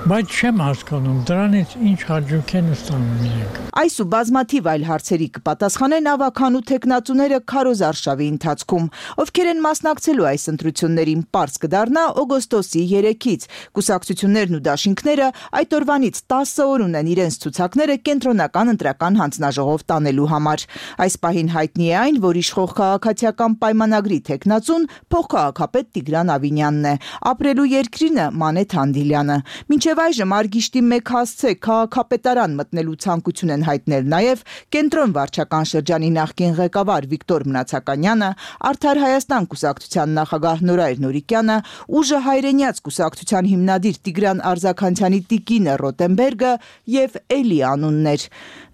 բայց չեմ հասկանում, դրանից ինչ հաջող են ստանում իրենք։ Այս ու բազմաթիվ այլ հարցերի կպատասխանեն ավագանու տեխնացուները քարոզ արշավի ընթացքում, ովքեր են մասնակցելու այս ընտրություններին, պարզ կդառնա օգոստոսի 3-ից։ Կուսակցություններն ու դաշինքները այդ օրվանից 10 օր ունեն իրենց ցուցակները կենտրոնական ընտրական հանձնաժողով տանելու համար։ Այս պահին հայտնի է այն, որ իշխող քաղաքացիական պայմանագրի տեխնացուն փոխքաղաքապետ Տիգրան Ավինյանն է, ապրելու երկրինը Մանեթ Հանդիլյանը։ Մինչև այժմ Արգիշտի 1 հասցե քաղաքապետարան մտնելու ցանկություն են հայտնել նաև Կենտրոն վարչական շրջանի նախկին ղեկավար Վիկտոր Մնացականյանը, Արդար Հայաստան կուսակցության նախագահ Նորայր Նորիկյանը, Ուժը հայրենյաց կուսակցության հիմնադիր Տիգրան Արզականցյանի տիկինը Ռոտենբերգը եւ Էլի անուններ։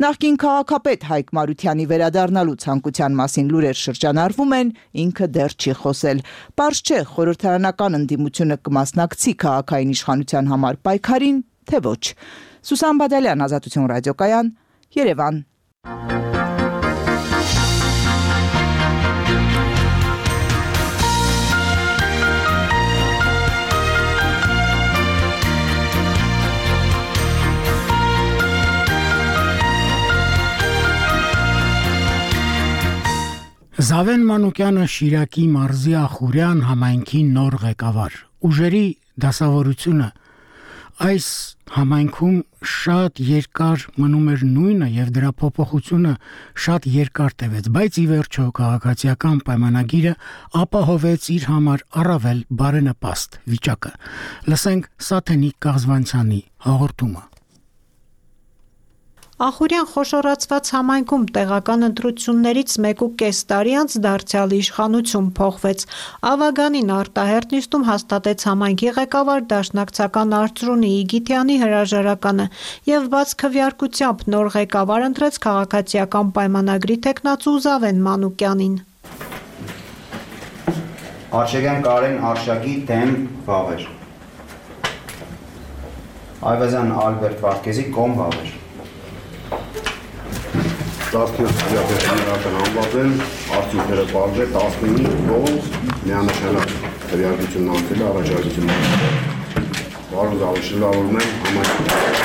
Նախկին քաղաքապետ Հայկ Մարությանի վերադառնալու ցանկության մասին լուրեր շրջանառվում են, ինքը դեռ չի խոսել։ Պարզ չէ խորհրդարանական ընդդիմությունը կմասնակցի քաղաքային իշխանության համար պայքարին, թե ոչ։ Սուսան Բադալյան, Ազատություն ռադիոկայան, Երևան։ Զավեն Մանուկյանը Շիրակի մարզի Ախուրյան համայնքի նոր ղեկավար։ Ուժերի դասավորությունը այս համայնքում շատ երկար մնում էր նույնը եւ դրա փոփոխությունը շատ երկար տևեց, բայց ի վերջո քաղաքացիական պայմանագիրը ապահովեց իր համար առավել բարենպաստ վիճակը։ Լսենք Սաթենիկ Կաղզվանցյանի հաղորդումը։ Ախուրյան խոշորացված համայնքում տեղական ընտրություններից 1.5 տարի անց դարձյալ իշխանություն փոխվեց։ Ավագանին արտահերտ նիստում հաստատեց համայնքի ղեկավար դաշնակցական Արծրունի Իգիթյանի հրաժարականը եւ բաց քվեարկությամբ նոր ղեկավար ընտրեց քաղաքացիական պայմանագրի տեխնացու Զավեն Մանուկյանին։ Արշակյան Կարեն Արշակի դեմ Վավեր։ Այվազյան Ալբերտ Վարդգեզի կողմ Վավեր։ 17 դիաբետիներական անվավել, արդյունքները պարզել 15 կողմ միանշանակ քվեարկությունն անցել է առաջարկությունն անցել։ Բարոն Զավեն, շնորհավորում եմ համայնքի։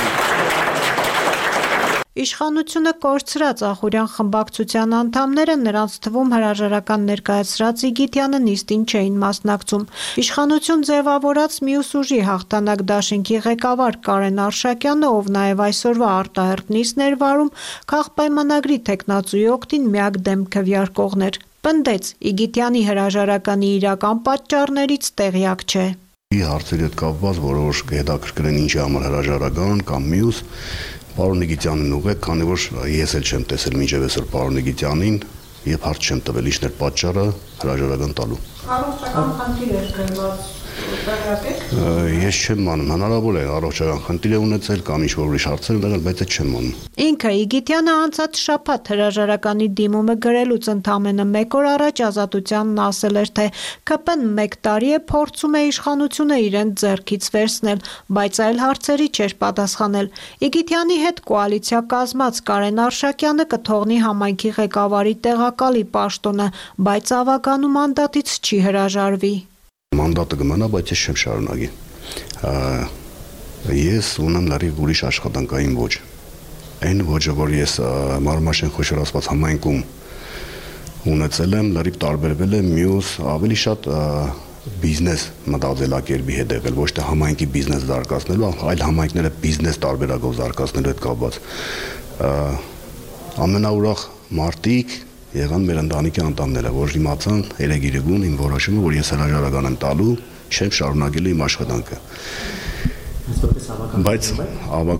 Իշխանությունը կորցրած Ախուրյան խմբակցության անդամները նրանց թվում հրաժարական ներկայացրած Իգիթյանը նիստին չէին մասնակցում։ Իշխանություն ձևավորած մյուս ուժի հաղթանակ դաշինքի ղեկավար Կարեն Արշակյանը, ով նաև այսօրվա արտահերտ նիստն էր վարում, քաղաքապայմանագրի տեխնացուի օգտին միակ դեմ քվեարկողներ։ Պնդեց Իգիթյանի հրաժարականի իրական պատճառներից տեղյակ չէ։ Հարցերի հետ կապված որոշ հետաքրքրեն ինչի համար հրաժարական կամ մյուս Պարոն Իգիթյանին ուղղեք, քանի որ ես էլ չեմ տեսել մինչև այսօր պարոն Իգիթյանին եւ հարց չեմ տվել ինչն էր պատճառը հրաժարական տալու։ Առողջական խնդիր էր գրված Ես չեմ մանում, հնարավոր է առողջական խնդիր է ունեցել կամ ինչ-որ ուրիշ հարցեր ունեցել, բայց այդ չեմ մանում։ Ինքը Իգիթյանը անցած շաբաթ հրաժարականի դիմումը գրելուց ընդամենը 1 օր առաջ Ազատությանն ասել էր, թե ԿՊ-ն 1 տարի է փորձում է իշխանությունը իրեն ձեռքից վերցնել, բայց այլ հարցերի չէր պատասխանել։ Իգիթյանի հետ կոալիցիա կազմած Կարեն Արշակյանը կթողնի համայնքի ղեկավարի տեղակալի պաշտոնը, բայց ավագանու մանդատից չի հրաժարվի։ Մանդատը կմնա, բայց ես չեմ շարունակի։ Ես ունեմ լրիվ ուրիշ աշխատանքային ոճ։ Այն ոճը, որ ես Մարմաշեն խոշորացված համայնքում ունեցել եմ, լրիվ տարբերվել է մյուս ավելի շատ բիզնես մտածելակերպի հետ եղել, ոչ թե համայնքի բիզնես զարգացնելու, այլ համայնքները բիզնես տարբերակով զարգացնելու հետ կապված։ Ամենաուրախ մարտիկ եղան մեր ընտանիքի անդամները, որ իմացան երեգիրեգուն իմ որոշումը, որ ես հրաժարական եմ տալու, չեմ շարունակելու իմ աշխատանքը։ Բայց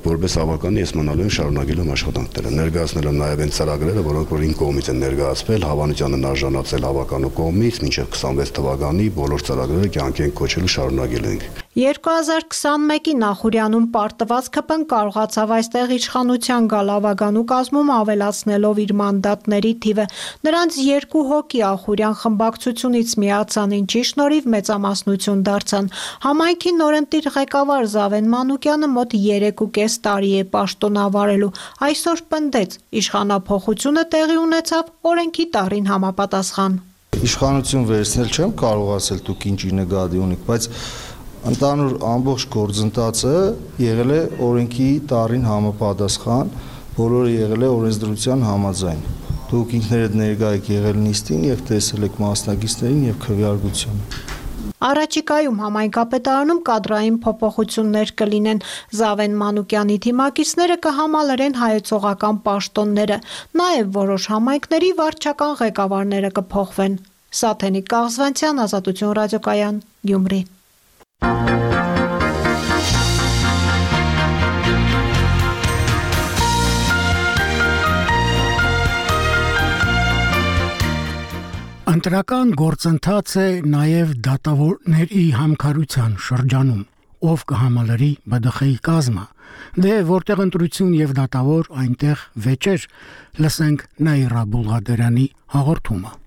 որպես ավականի ես մնալու եմ շարունակելու եմ աշխատանքները, ներկայացնել եմ նաև այն ծրագրերը, որոնք որ իմ կողմից են ներկայացվել, հավանությանն արժանացել ավականու կողմից, մինչև 26 թվականի բոլոր ծրագրերը կյանքի ենք կոչելու շարունակելու ենք։ 2021-ի նախուրյանում պարտված ԿՊ-ն կարողացավ այստեղ իշխանության գալ ավագանու կազմում ավելացնելով իր մանդատների թիվը։ Նրանց 2 հոգի Ախուրյան խմբակցությունից միացան, ինչի շնորհիվ մեծամասնություն դարձան։ Համայնքի նորընտիր ղեկավար Զավեն Մանուկյանը մոտ 3.5 տարի է պաշտոնավարելու։ Այսօր պնդեց, իշխանափոխությունը տեղի ունեցավ օրենքի տառին համապատասխան։ Իշխանություն վերցնել չեմ կարող ասել դուք ինչի նկատի ունիք, բայց ընդհանուր ամբողջ գործընթացը եղել է օրենքի տառին համապատասխան, բոլորը եղել է օրենսդրության համաձայն։ Դուք ինքներդ ներկա եք եղել նիստին եւ տեսել եք մասնակիցներին եւ քվեարկությունը։ Առաջիկայում համայնքապետարանում կադրային փոփոխություններ կլինեն։ Զավեն Մանուկյանի թիմակիցները կհամալրեն հայեցողական պաշտոնները, նաև որոշ համայնքների վարչական ղեկավարները կփոխվեն։ Սաթենիկ Կաղզվանցյան, Ազատություն ռադիոկայան, Գյումրի։ Ընտրական գործընթաց է նաև դատավորների համքարության շրջանում, ով կհամալրի ԲԴԽ-ի կազմը, դե որտեղ ընտրություն եւ դատավոր այնտեղ վեճեր, լսենք Նաիրա Բուլղադերյանի հաղորդումը։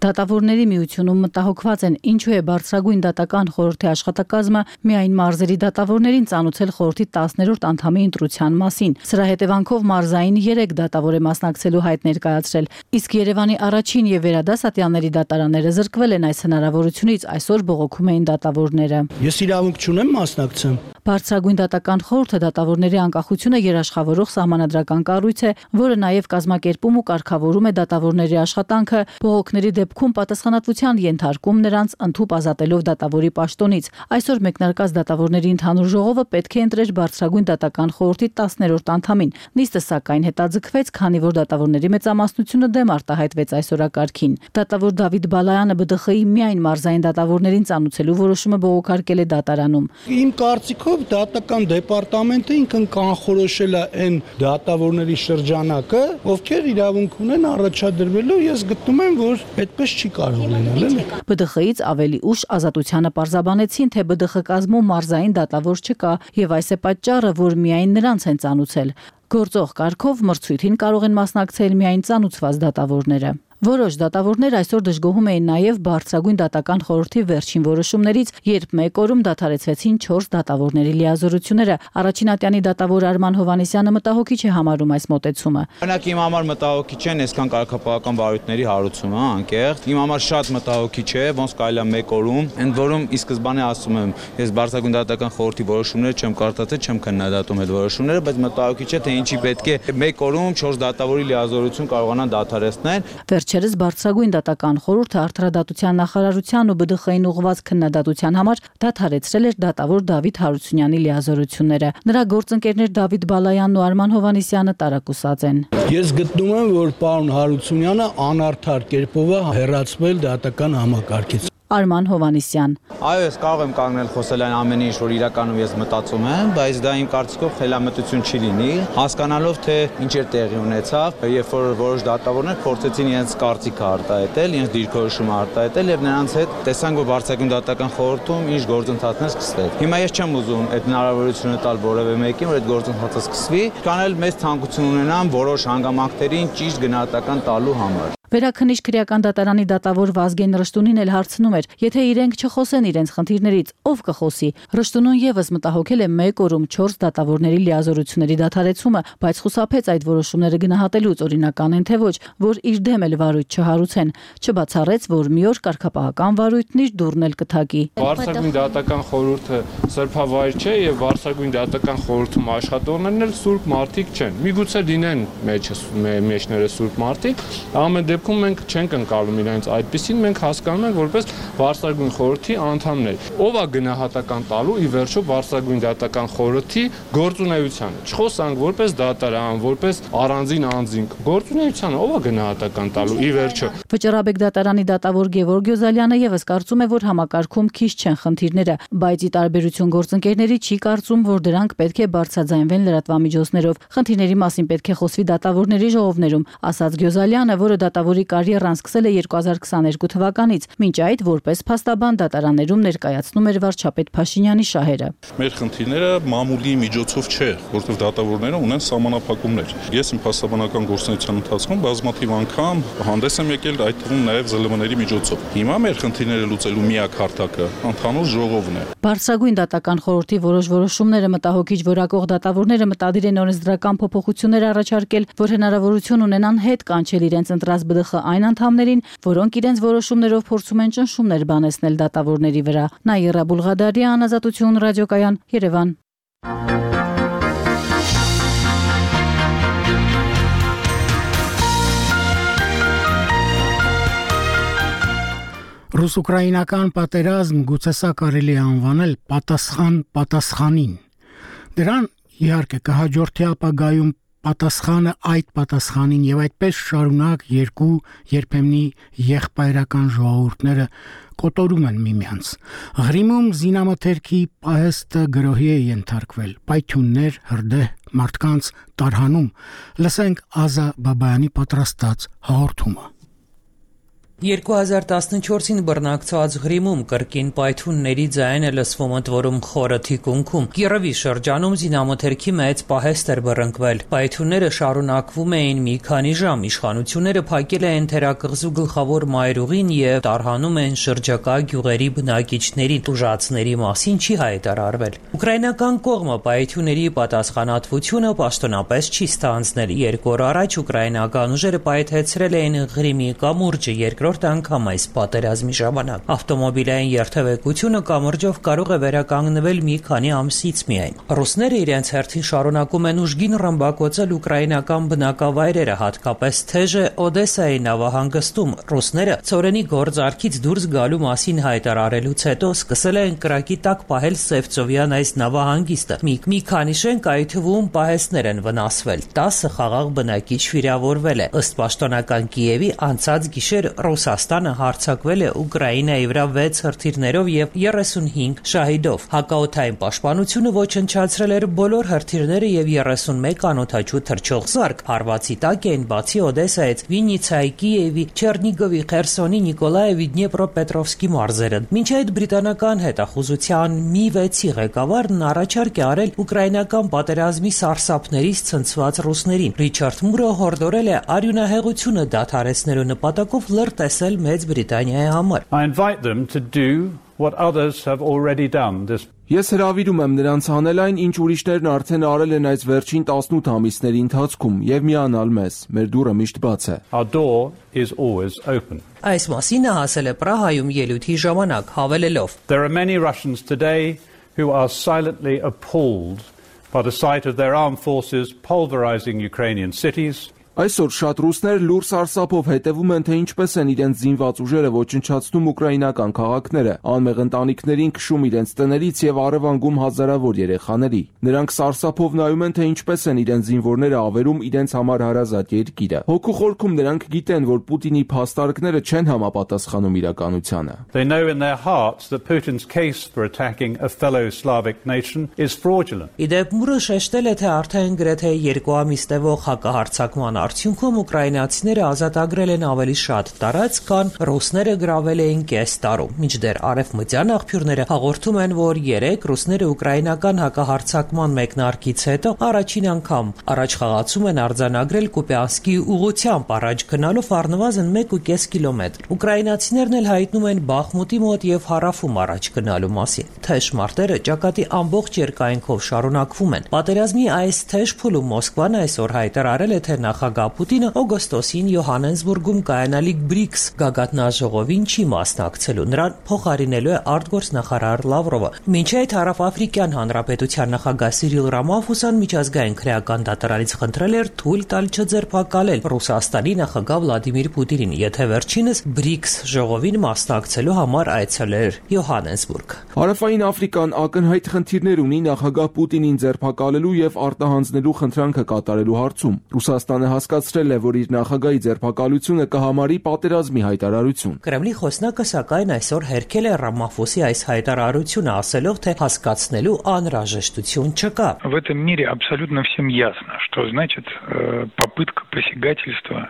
Դատավորների միությունում մտահոգված են, ինչու է բարձրագույն դատական խորհրդի աշխատակազմը միայն մարզերի դատավորներին ծանուցել խորհրդի 10-րդ անդամի ընտրության մասին։ Սրա հետևանքով մարզային 3 դատավոր է մասնակցելու հայտ ներկայացրել, իսկ Երևանի առաջին եւ վերադասատյանների դատարանները զրկվել են այս հնարավորությունից, այսօր բողոքում էին դատավորները։ Ես իրավունք չունեմ մասնակցեմ։ Բարձրագույն դատական խորհուրդը դատավորների անկախությունը երաշխավորող սահմանադրական կառույց է, որը նաև կազմակերպում ու կարգավորում է դատավորների աշխատանքը, բողոքների դեպքում պատասխանատվության ենթարկում նրանց ընդհուպ ազատելով դատավորի պաշտոնից։ Այսօր մեկնարկած դատավորների ընդհանուր ժողովը պետք է ընտրեր բարձրագույն դատական խորհրդի 10-րդ անդամին։ Նիստը սակայն հետաձգվեց, քանի որ դատավորների մեծամասնությունը դեմ արտահայտվեց այս օրակարգին։ Դատավոր Դավիթ Բալայանը ԲԴԽ-ի միայն մարզային դատավորներին ծանուցելու որոշումը բողոքարկել է դատարանում։ Իմ կարծիքով դատական դեպարտամենտը ինքն կանխորոշել է այն դատավորների շրջանակը, ովքեր իրավունք ունեն առաջադրվելու, ես գտնում եմ, որ այդպես չի կարող լինել, էլի։ ԲԴԽ-ից ավելի ուշ Ազատությանը պարզաբանեցին, թե ԲԴԽ կազմում մարզային դատավոր չկա, եւ այս է պատճառը, որ միայն նրանց են ծանուցել։ Գործող կարգով մրցույթին կարող են մասնակցել միայն ծանուցված դատավորները։ Որոշ դատավորներ այսօր դժգոհում էին նաև բարձրագույն դատական խորհրդի վերջին որոշումներից, երբ մեկ օրում դադարեցվեցին 4 դատավորների լիազորությունները։ Առաջին ատյանի դատավոր Արման Հովանեսյանը մտահոգիչ է համարում այս մոտեցումը։ Օրինակ իմ համար մտահոգիչ է այսքան կարգապահական վարույթների հարուցումը, անկեղծ։ Իմ համար շատ մտահոգիչ է, ոնց կարելի է մեկ օրում, ընդ որում ի սկզբանե ասում եմ, ես բարձրագույն դատական խորհրդի որոշումները չեմ կարդացել, չեմ քննադատում այդ որոշումները, բայց մտահոգիչ է, թե ինչի պետք է մեկ օրում 4 դատավորի լիազորություն կարողանան դադարեցնել։ Վերջերս բարձրագույն դատական խորհուրդը արդարադատության նախարարության ու ԲԴԽ-ին ուղղված քննադատության համար դադարեցրել էր դատավոր Դավիթ Հարությունյանի լիազորությունները։ Նրա գործընկերներ Դավիթ Բալայանն ու Արման Հովանեսյանը տարակուսած են։ Ես գտնում եմ, որ պարոն Հարությունյանը անարդար կերպով է հեռացվել դատական համակարգից։ Արման Հովանեսյան։ Այո, ես կարող եմ կանգնել խոսել այն ամենի, ինչ որ իրականում ես մտածում եմ, բայց դա իմ կարծիքով խելամտություն չի լինի, հասկանալով թե ինչ է տեղի ունեցավ, երբ որ որոշ դատավորներ փորձեցին իրենց կարծիքը արտահայտել, իրենց դիրքորոշումը արտահայտել եւ նրանց հետ տեսանք, որ բարձրագույն դատական խորհրդում ինչ գործընթացներ սկսվեց։ Հիմա ես չեմ ուզում այդ հնարավորությունը տալ որևէ մեկին, որ այդ գործընթացը սկսվի, քան էլ մեծ ցանկություն ունենամ որոշ հանգամանքներին ճիշտ գնահատական տալու համար։ Վերաքննիչ քրեական դատարանի դատավոր Վազգեն Ռշտունին էլ հարցնում էր, եթե իրենք չխոսեն իրենց խնդիրներից, ով կխոսի։ Ռշտունուն եւս մտահոգել է մեկ օրում 4 դատավորների լիազորությունների դադարեցումը, բայց խուսափեց այդ որոշումները գնահատելուց, օրինական են թե ոչ, որ իր դեմ էլ վարույթ չհարուցեն, չբացառեց, որ մի օր կարգապահական վարույթն իր դուռն էլ կթակի։ Բարձրագույն դատական խորհուրդը սրբավայր չէ եւ բարձրագույն դատական խորհրդում աշխատողներն էլ սուրբ մարդիկ չեն։ Միգուցե լինեն մեջները սուրբ մարդիկ, ամեն դեպքում մենք չենք ընկալում իրենց այդպեսին, մենք հասկանում ենք որպես բարձրագույն խորհրդի անդամներ։ Ով է գնահատական տալու ի վերջո բարձրագույն դատական խորհրդի գործունեությանը։ Չխոսանք որպես դատարան, որպես առանձին անձինք, գործունեությանը ով է գնահատական տալու ի վերջո։ Վճռաբեկ դատարանի դատավոր Գևորգ Գյոզալյանը եւս կարծում է, որ համակարգում քիչ չեն խնդիրները, բայց ի տարբերություն գործընկերների չի կարծում, որ դրանք պետք է բարձրաձայնվեն լրատվամիջոցներով։ Խնդիրների մասին պետք է խոսվի դատավորների ժողովներում, ասաց Գյոզալյանը, որը դատավոր որի կարիերան սկսել է 2022 թվականից, մինչ այդ որպես փաստաբան դատարաններում ներկայացնում էր վարչապետ Փաշինյանի շահերը։ Մեր խնդիրները մամուլի միջոցով չէ, որտեղ դատավորները ունեն սահմանափակումներ։ Ես իմ փաստաբանական գործունեության ընթացքում բազմաթիվ անգամ հանդես եմ եկել այդ թվում նաև ԶԼՄ-ների միջոցով։ Հիմա մեր խնդիրները լուծելու միակ հարթակը ընդհանուր ժողովն է։ Բարձրագույն դատական խորհրդի որոշումները մտահոգիչ որակող դատավորները մտադիր են օրենսդրական փոփոխություններ առաջարկել, որ հնարավորություն ունենան հետ կանչել իրենց ընտրած ԲԴԽ այն անդամներին, որոնք իրենց որոշումներով փորձում են ճնշումներ բանեցնել դատավորների վրա։ Նաիրա Բուլղադարյան, Ազատություն ռադիոկայան, Երևան։ Ռուս-ուկրաինական պատերազմ գուցե սա կարելի է անվանել պատասխան պատասխանին։ Դրան իհարկե կհաջորդի ապագայում պատասխանը այդ պատասխանին եւ այդպես շարունակ երկու երբեմնի եղբայրական ժողովուրդները կոտորում են միմյանց։ Ղրիմում զինամթերքի պահեստը գրոհի է ենթարկվել, պայթյուններ, հրդեհ, մարդկանց տարհանում։ Լսենք Ազա Բաբայանի պատրաստած հաղորդումը։ 2014-ին բռնակցված Ղրիմում կրկին պայթյունների ձայն է լսվում ընդ որում խորը թիկունքում։ Կիրովի շրջանում զինամթերքի մեծ պահեստ էր բռնկվել։ Պայթյունները շարունակվում էին մի քանի ժամ։ Իշխանությունները փակել են թերակղզու գլխավոր մայրուղին եւ տարհանում են շրջակա գյուղերի բնակիչներին։ Տուժածների մասին չի հայտարարվել։ Ուկրաինական կողմը պայթյունների պատասխանատվությունը պաշտոնապես չի ստանձնել։ 2 օր առաջ ուկրաինական ուժերը պայթեցրել էին Ղրիմի կամուրջը, երկրորդ անգամ այս պատերազմի ժամանակ։ Ավտոմոբիլային երթևեկությունը կամուրջով կարող է վերականգնվել մի քանի ամսից միայն։ Ռուսները իրենց հերթին շարունակում են ուժգին ռմբակոծել ուկրաինական բնակավայրերը, հատկապես թեժը Օդեսայի նավահանգստում։ Ռուսները ցորենի գործարքից դուրս գալու մասին հայտարարելուց հետո սկսել են կրակի տակ պահել Սևծովյան այս նավահանգիստը։ Մի քանի շենք, այդ թվում պահեստներ են վնասվել։ 10 խաղաղ բնակիչ վիրավորվել է։ Ըստ պաշտոնական Կիևի անցած գիշեր Ռուսաստանը հարձակվել է Ուկրաինայի վրա 6 հրթիռներով եւ 35 շահիդով։ Հակաօդային պաշտպանությունը ոչնչացրել էր բոլոր հրթիռները եւ 31 անօդաչու թռչող զարկ։ Հարվածի տակ էին բացի Օդեսայից Վիննիցայի, Կիևի, Չեռնիգովի, Խերսոնի, Նիկոլաևի, Դնեպրոպետրովսկի մարզերը։ Մինչ այդ բրիտանական հետախուզության Mi-6-ի ղեկավարն առաջարկ է արել ուկրաինական պատերազմի սարսափներից ցնցված ռուսներին։ Ռիչարդ Մուրը հորդորել է արյունահեղությունը դադարեցնելու նպատակով լրտեսել Մեծ Բրիտանիայի համար։ I invite them to do what others have already done. Ես հրավիրում եմ նրանց անել այն, ինչ ուրիշներն արդեն արել են այս վերջին 18 ամիսների ընթացքում եւ միանալ մեզ։ Մեր դուռը միշտ բաց է։ Our door is always open. Այս մասին նա ասել է Պրահայում ելույթի ժամանակ, հավելելով. There are many Russians today who are silently appalled by the sight of their armed forces pulverizing Ukrainian cities. Այսօր շատ ռուսներ լուր սարսափով հետևում են, թե ինչպես են իրենց զինված ուժերը ոչնչացնում ուկրաինական քաղաքները, անմեղ ընտանիքներին քշում իրենց տներից եւ առևանգում հազարավոր երեխաների։ Նրանք սարսափով նայում են, թե ինչպես են իրենց զինվորները ավերում իրենց համար հարազատ երկիրը։ Հոգու խորքում նրանք գիտեն, որ Պուտինի փաստարկները չեն համապատասխանում իրականությանը։ They know in their hearts that Putin's case for attacking a fellow Slavic nation is fraudulent. Իդեպ Մուրը շեշտել է, թե արդեն գրեթե 2 ամիս տևող հակահարձակման արդյունքում ուկրաինացիները ազատագրել են ավելի շատ տարածք, քան ռուսները գրավել էին կես տարում։ Մինչդեռ արևմտյան աղբյուրները հաղորդում են, որ 3 ռուսները ուկրաինական հակահարձակման մեկնարկից հետո առաջին անգամ առաջխաղացում են արձանագրել Կուպյանսկի ուղղությամբ առաջ գնալով առնվազն 1.5 կիլոմետր։ Ուկրաինացիներն էլ հայտնում են Բախմուտի մոտ եւ հարավում առաջ գնալու մասին։ Թեժ մարտերը ճակատի ամբողջ երկայնքով շարունակվում են։ Պատերազմի այս թեժ փուլում Մոսկվան այսօր հայտարարել է, թե նախագահ Պուտինը օգոստոսին Յոհաննեսբուրգում կայանալիք BRICS գագաթնաժողովին չի մասնակցելու, նրան փոխարինելու է արտգործնախարար Լավրովը։ Մինչ այդ Հարավաֆրիկյան Հանրապետության նախագահ Սիրիլ Ռամաֆոսան միջազգային քրեական դատարանից խնդրել էր թույլ տալ չձերբակալել Ռուսաստանի նախագահ Վլադիմիր Պուտինին, եթե վերջինս BRICS ժողովին մասնակցելու համար այցելեր Յոհաննեսբուրգ։ Հարավային Աֆրիկան ակնհայտ խնդիրներ ունի նախագահ Պուտինին ձերբակալելու եւ արտահանձնելու խնդրանքը կատարելու հարցում։ Ռուսաստանը հասկացրել է, որ իր նախագահի ձերբակալությունը կհամարի պատերազմի հայտարարություն։ Կրեմլի խոսնակը սակայն այսօր հերքել է Ռամաֆոսի այս հայտարարությունը, ասելով, թե հասկացնելու անհրաժեշտություն չկա։ В этом мире абсолютно всем ясно, что значит попытка посягательства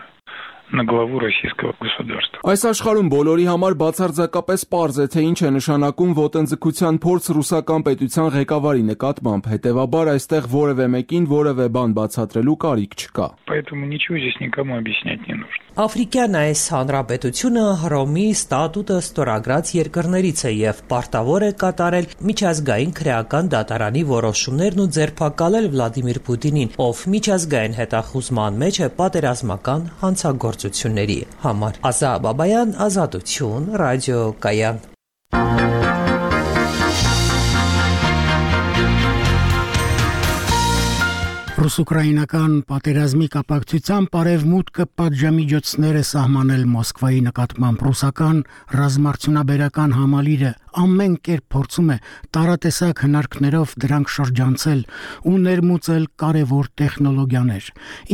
на главу российского государства. Այս աշխարհում բոլորի համար բացարձակապես պարզ է, թե ինչ է նշանակում ոտնձգության փորձ ռուսական պետության ղեկավարի նկատմամբ, հետևաբար այստեղ որևէ մեկին որևէ բան բացատրելու կարիք չկա. Поэтому ничего здесь никому объяснять не нужно. Աֆրիկյան այս հանրապետությունը Հռոմի ստատուտը ստորագրած երկրներից է եւ պարտավոր է կատարել միջազգային քրեական դատարանի որոշումներն ու ձերբակալել Վլադիմիր Պուտինին, ով միջազգային հետախուզման մեջ է պատերազմական հանցագործությունների համար։ Ազա Բաբայան, Ազատություն, Ռադիո Կայան։ Ռուս-ուկրաինական պատերազմի կապակցությամբ արևմուտքը պատժամիջոցներ է սահմանել Մոսկվայի նկատմամբ ռուսական ռազմարտունաբերական համալիրը ամեն կերպ փորձում է տարատեսակ հնարքներով դրանք շրջանցել ու ներմուծել կարևոր տեխնոլոգիաներ,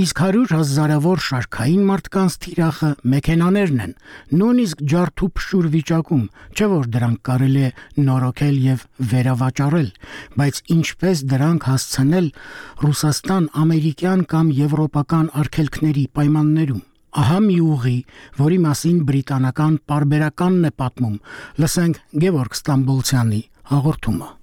իսկ 100,000-ավոր շարքային մարդկանց թիրախը մեքենաներն են, նույնիսկ ջարդու փշուր վիճակում, չէ որ դրանք կարելի է նորոգել եւ վերավաճառել, բայց ինչպես դրանք հասցնել Ռուսաստան ամերիկյան կամ եվրոպական արգելքների պայմաններում։ Ահա մի ուղի, որի մասին բրիտանական պարբերականն է պատմում, լսենք Գևորգ Ստամբոլցյանի հաղորդումը։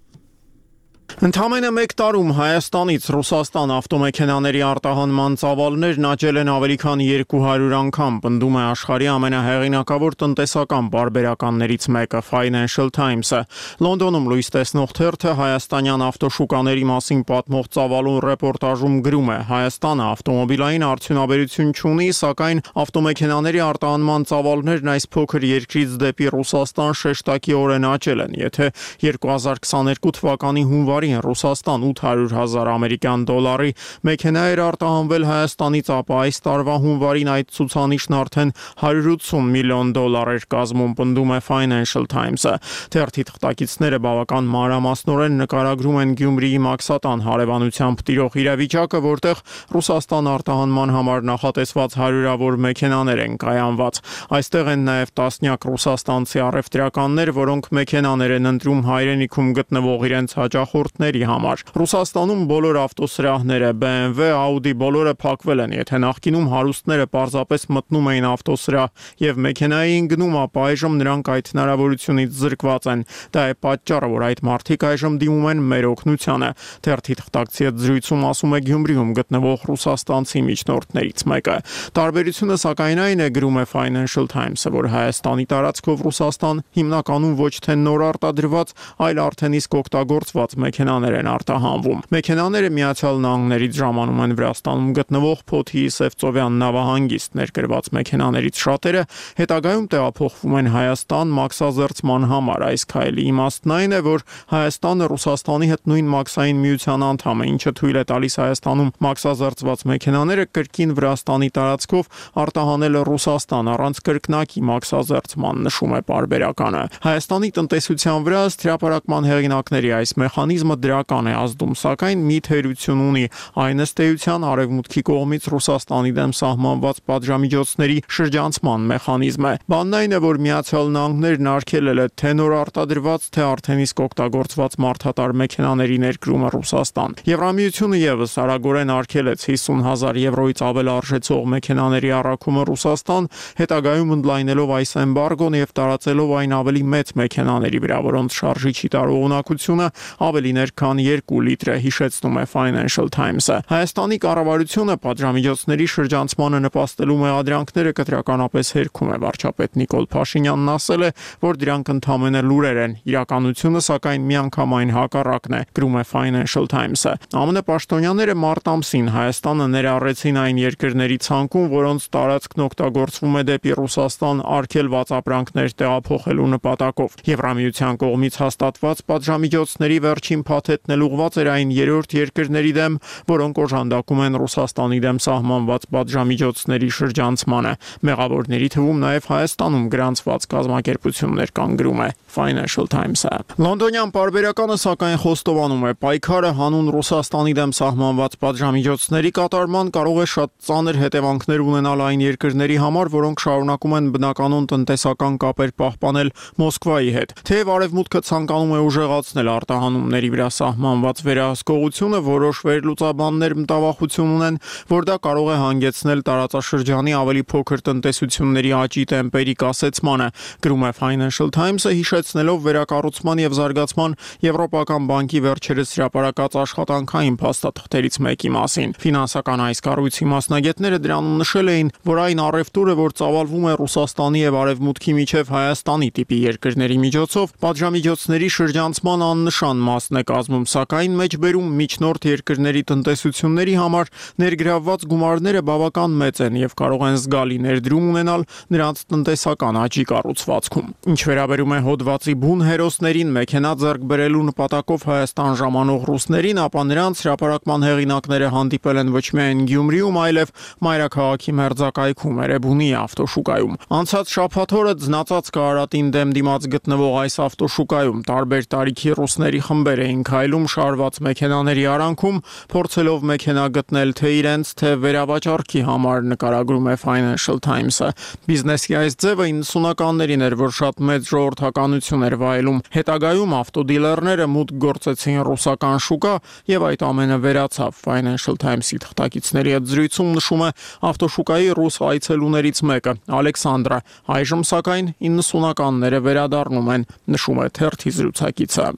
Ընդամենը մեկ տարում Հայաստանից Ռուսաստան ավտոմեքենաների արտահանման ծավալներն աճել են ավելի քան 200 անգամ, պնդում է աշխարհի ամենահեղինակավոր տնտեսական պարբերականներից մեկը Financial Times-ը։ Լոնդոնում լույս տեսնող թերթը հայաստանյան ավտոշուկաների մասին պատմող ծավալուն ռեպորտաժում գրում է. Հայաստանը ավտոմոբիլային արդյունաբերություն չունի, սակայն ավտոմեքենաների արտահանման ծավալներն այս փոքր երկրից դեպի Ռուսաստան շեշտակիորեն աճել են։ Եթե 2022 թվականի հունվարին Ռուսաստան 800,000 ամերիկյան դոլարի մեքենա էր արտահանվել Հայաստանից, ապա այս տարվա հունվարին այդ ցուցանիշն արդեն 180 միլիոն դոլար էր կազմում, պնդում է Financial Times-ը։ Թերթի թղթակիցները բավական մանրամասնորեն նկարագրում են Գյումրիի Մաքսատան հարևանությամբ տիրող իրավիճակը, որտեղ Ռուսաստան արտահանման համար նախատեսված 100-ավոր մեքենաներ են կայանված։ Այստեղ են նաև տասնյակ ռուսաստանցի առևտրականներ, որոնք մեքենաներ են ընտրում հայրենիքում գտնվող իրենց հաճախորդների համար։ Ռուսաստանում բոլոր ավտոսրահները, BMW, Audi բոլորը փակվել են, եթե նախկինում հարուստները պարզապես մտնում էին ավտոսրահ եւ մեքենային գնում, ապա այժմ նրանք այդ հնարավորությունից զրկված են։ Դա է պատճառը, որ այդ մարդիկ այժմ դիմում են մեր օգնությանը։ Թերթի թղթակցի հետ զրույցում ասում է Գյումրիում գտնվող ռուսաստանցի միջնորդներից մեկը։ Տարբերությունը սակայն այն է, գրում է Financial Times-ը, որ Հայաստանի տարածքով Ռուսաստան հիմնականում ոչ թե նոր արտադրված, այլ արդեն իսկ օգտագործված մեքենաներ են արտահանվում։ Մեքենաները Միացյալ Նահանգներից ժամանում են Վրաստանում գտնվող Փոթիի Սևծովյան նավահանգիստ, ներկրված մեքենաներից շատերը հետագայում տեղափոխվում են Հայաստան մաքսազերծման համար։ Այս քայլի իմաստն այն է, որ Հայաստանը Ռուսաստանի հետ նույն մաքսային միության անդամ է, ինչը թույլ է տալիս Հայաստանում մաքսազերծված մեքենաները կրկին Վրաստանի տարածքով արտահանել Ռուսաստան առանց կրկնակի մաքսազերծման, նշում է պարբերականը։ Հայաստանի տնտեսության վրա հրապարակման հեղինակների այս մեխանիզմը դրական է ազդում, սակայն մի թերություն ունի, այն ըստ էության արևմուտքի կողմից Ռուսաստանի դեմ սահմանված պատժամիջոցների շրջանցման մեխանիզմ է։ Բանն այն է, որ Միացյալ Նահանգներն արգելել է թե նոր արտադրված, թե արդեն իսկ օգտագործված մարդատար մեքենաների ներկրումը Ռուսաստան։ Եվրամիությունը եւս արագորեն արգելեց 50,000 եվրոից ավել արժեցող մեքենաների առաքումը Ռուսաստան, հետագայում ընդլայնելով այս էմբարգոն եւ տարածելով այն ավելի մեծ մեքենաների վրա, որոնց շարժիչի տարողունակությունը ավելին էր, քան 2 լիտր է, հիշեցնում է Financial Times-ը։ Հայաստանի կառավարությունը պատժամիջոցների շրջանցմանը նպաստելու մեղադրանքները կտրականապես հերքում է։ Վարչապետ Նիկոլ Փաշինյանն ասել է, որ դրանք ընդամենը լուրեր են, իրականությունը սակայն միանգամայն հակառակն է, գրում է Financial Times-ը։ ԱՄՆ պաշտոնյաները մարտ ամսին Հայաստանը ներառեցին այն երկրների ցանկում, որոնց տարածքն օգտագործվում է դեպի Ռուսաստան արգելված ապրանքներ տեղափոխելու նպատակով։ Եվրամիության կողմից հաստատված պատժամիջոցների վերջին փաթեթն ուղղված էր այն երրորդ երկրների դեմ, որոնք օժանդակում են Ռուսաստանի դեմ սահմանված պատժամիջոցների շրջանցմանը։ Մեղավորների թվում նաև Հայաստանում գրանցված կազմակերպություններ կան, գրում է Financial Times-ը։ Լոնդոնյան պարբերականը սակայն խոստովանում է, պայքարը հանուն Ռուսաստանի դեմ սահմանված պատժամիջոցների կատարման կարող է շատ ծանր հետևանքներ ունենալ այն երկրների համար, որոնք շարունակում են բնականon տնտեսական կապեր պահպանել Մոսկվայի հետ։ Թեև արևմուտքը ցանկանում է ուժեղացնել արտահանումների վրա սահմանված վերահսկողությունը որոշ վերլուծաբաններ մտավախություն ունեն, որ դա կարող է հանգեցնել տարածաշրջանի ավելի փոքր տնտեսությունների աճի տեմպերի կասեցմանը, գրում է Financial Times-ը, հիշեցնելով վերակառուցման եւ զարգացման Եվրոպական բանկի վերջերս հրապարակած աշխատանքային փաստաթղթերից մեկի մասին։ Ֆինանսական այս կառույցի մասնագետները դրանում նշել էին, որ այն առևտուրը, որ ծավալվում է Ռուսաստանի եւ Արևմուտքի միջև Հայաստանի տիպի երկրների միջոցով, պատժամիջոցների շրջանցման աննշան մասն է կազմում, սակայն մեջբերում միջնորդ երկրների տնտեսությունների համար ներգրավված գումարները բավական մեծ են եւ կարող են զգալի ներդրում ունենալ նրանց տնտեսական աճի կառուցվածքում։ Ինչ վերաբերում է հոդվածի բուն հերոսներին մեքենա ձեռք բերելու նպատակով Հայաստան ժամանող ռուսներին, ապա նրանց հրապարակման հեղինակները հանդիպել են ոչ միայն Գյումրիում, այլև մայրաքաղաքի մերձակայքում Էրեբունի ավտոշուկայում։ Անցած շաբաթ օրը ձնածած Կարարատին դեմ դիմաց գտնվող այս ավտոշուկայում տարբեր տարիքի ռուսների խմբեր էին քայլում շարված մեքենաների արանքում, փորձելով մեքենա գտնել թե իրենց, թե վերավաճառքի համար, նկարագրում է Financial Times-ը։ Բիզնեսի այս ձևը 90-ականներին էր, որ շատ մեծ ժողովրդականություն էր վայելում։ Հետագայում ավտոդիլերները մուտք գործեցին ռուսական շուկա եւ այդ ամենը վերացավ։ Financial Times-ի թղթակիցների հետ զրույցում նշում է ավտոշուկայի ռուս այցելուներից մեկը, Ալեքսանդրը։ Այժմ սակայն 90-ականները վերադառնում են, նշում է թերթի զրուցակիցը։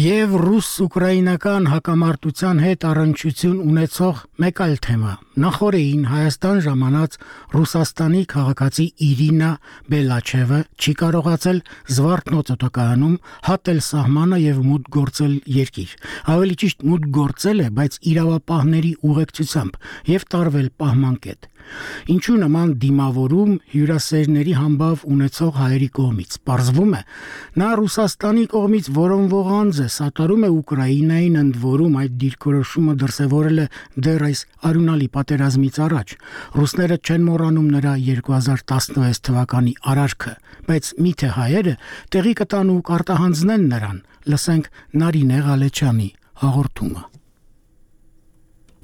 Եվ ռուս-ուկրաինական հակամարտության հետ առնչություն ունեցող մեկ այլ թեմա։ Նախորդին Հայաստան ժամանած Ռուսաստանի քաղաքացի Իրինա Բելաչևը չի կարողացել Զվարթնոց օդակայանում հատել սահմանը եւ մուտք գործել երկիր։ Ավելի ճիշտ մուտք գործել է, բայց իրավապահների ուղեկցությամբ եւ տարվել պահմանկետ։ Ինչու նման դիմավորում հյուրասերների համբավ ունեցող հայերի կողմից։ Պարզվում է, նա Ռուսաստանի կողմից որոնվող անձ է, սատարում է Ուկրաինային, ընդ որում այդ դիրքորոշումը դրսևորել է դեռ այս արյունալի պատերազմից առաջ։ Ռուսները չեն մոռանում նրա 2016 թվականի արարքը, բայց միթե հայերը տեղի կտան ու կարտահանձնեն նրան։ Լսենք Նարինե Ղալեչյանի հաղորդումը։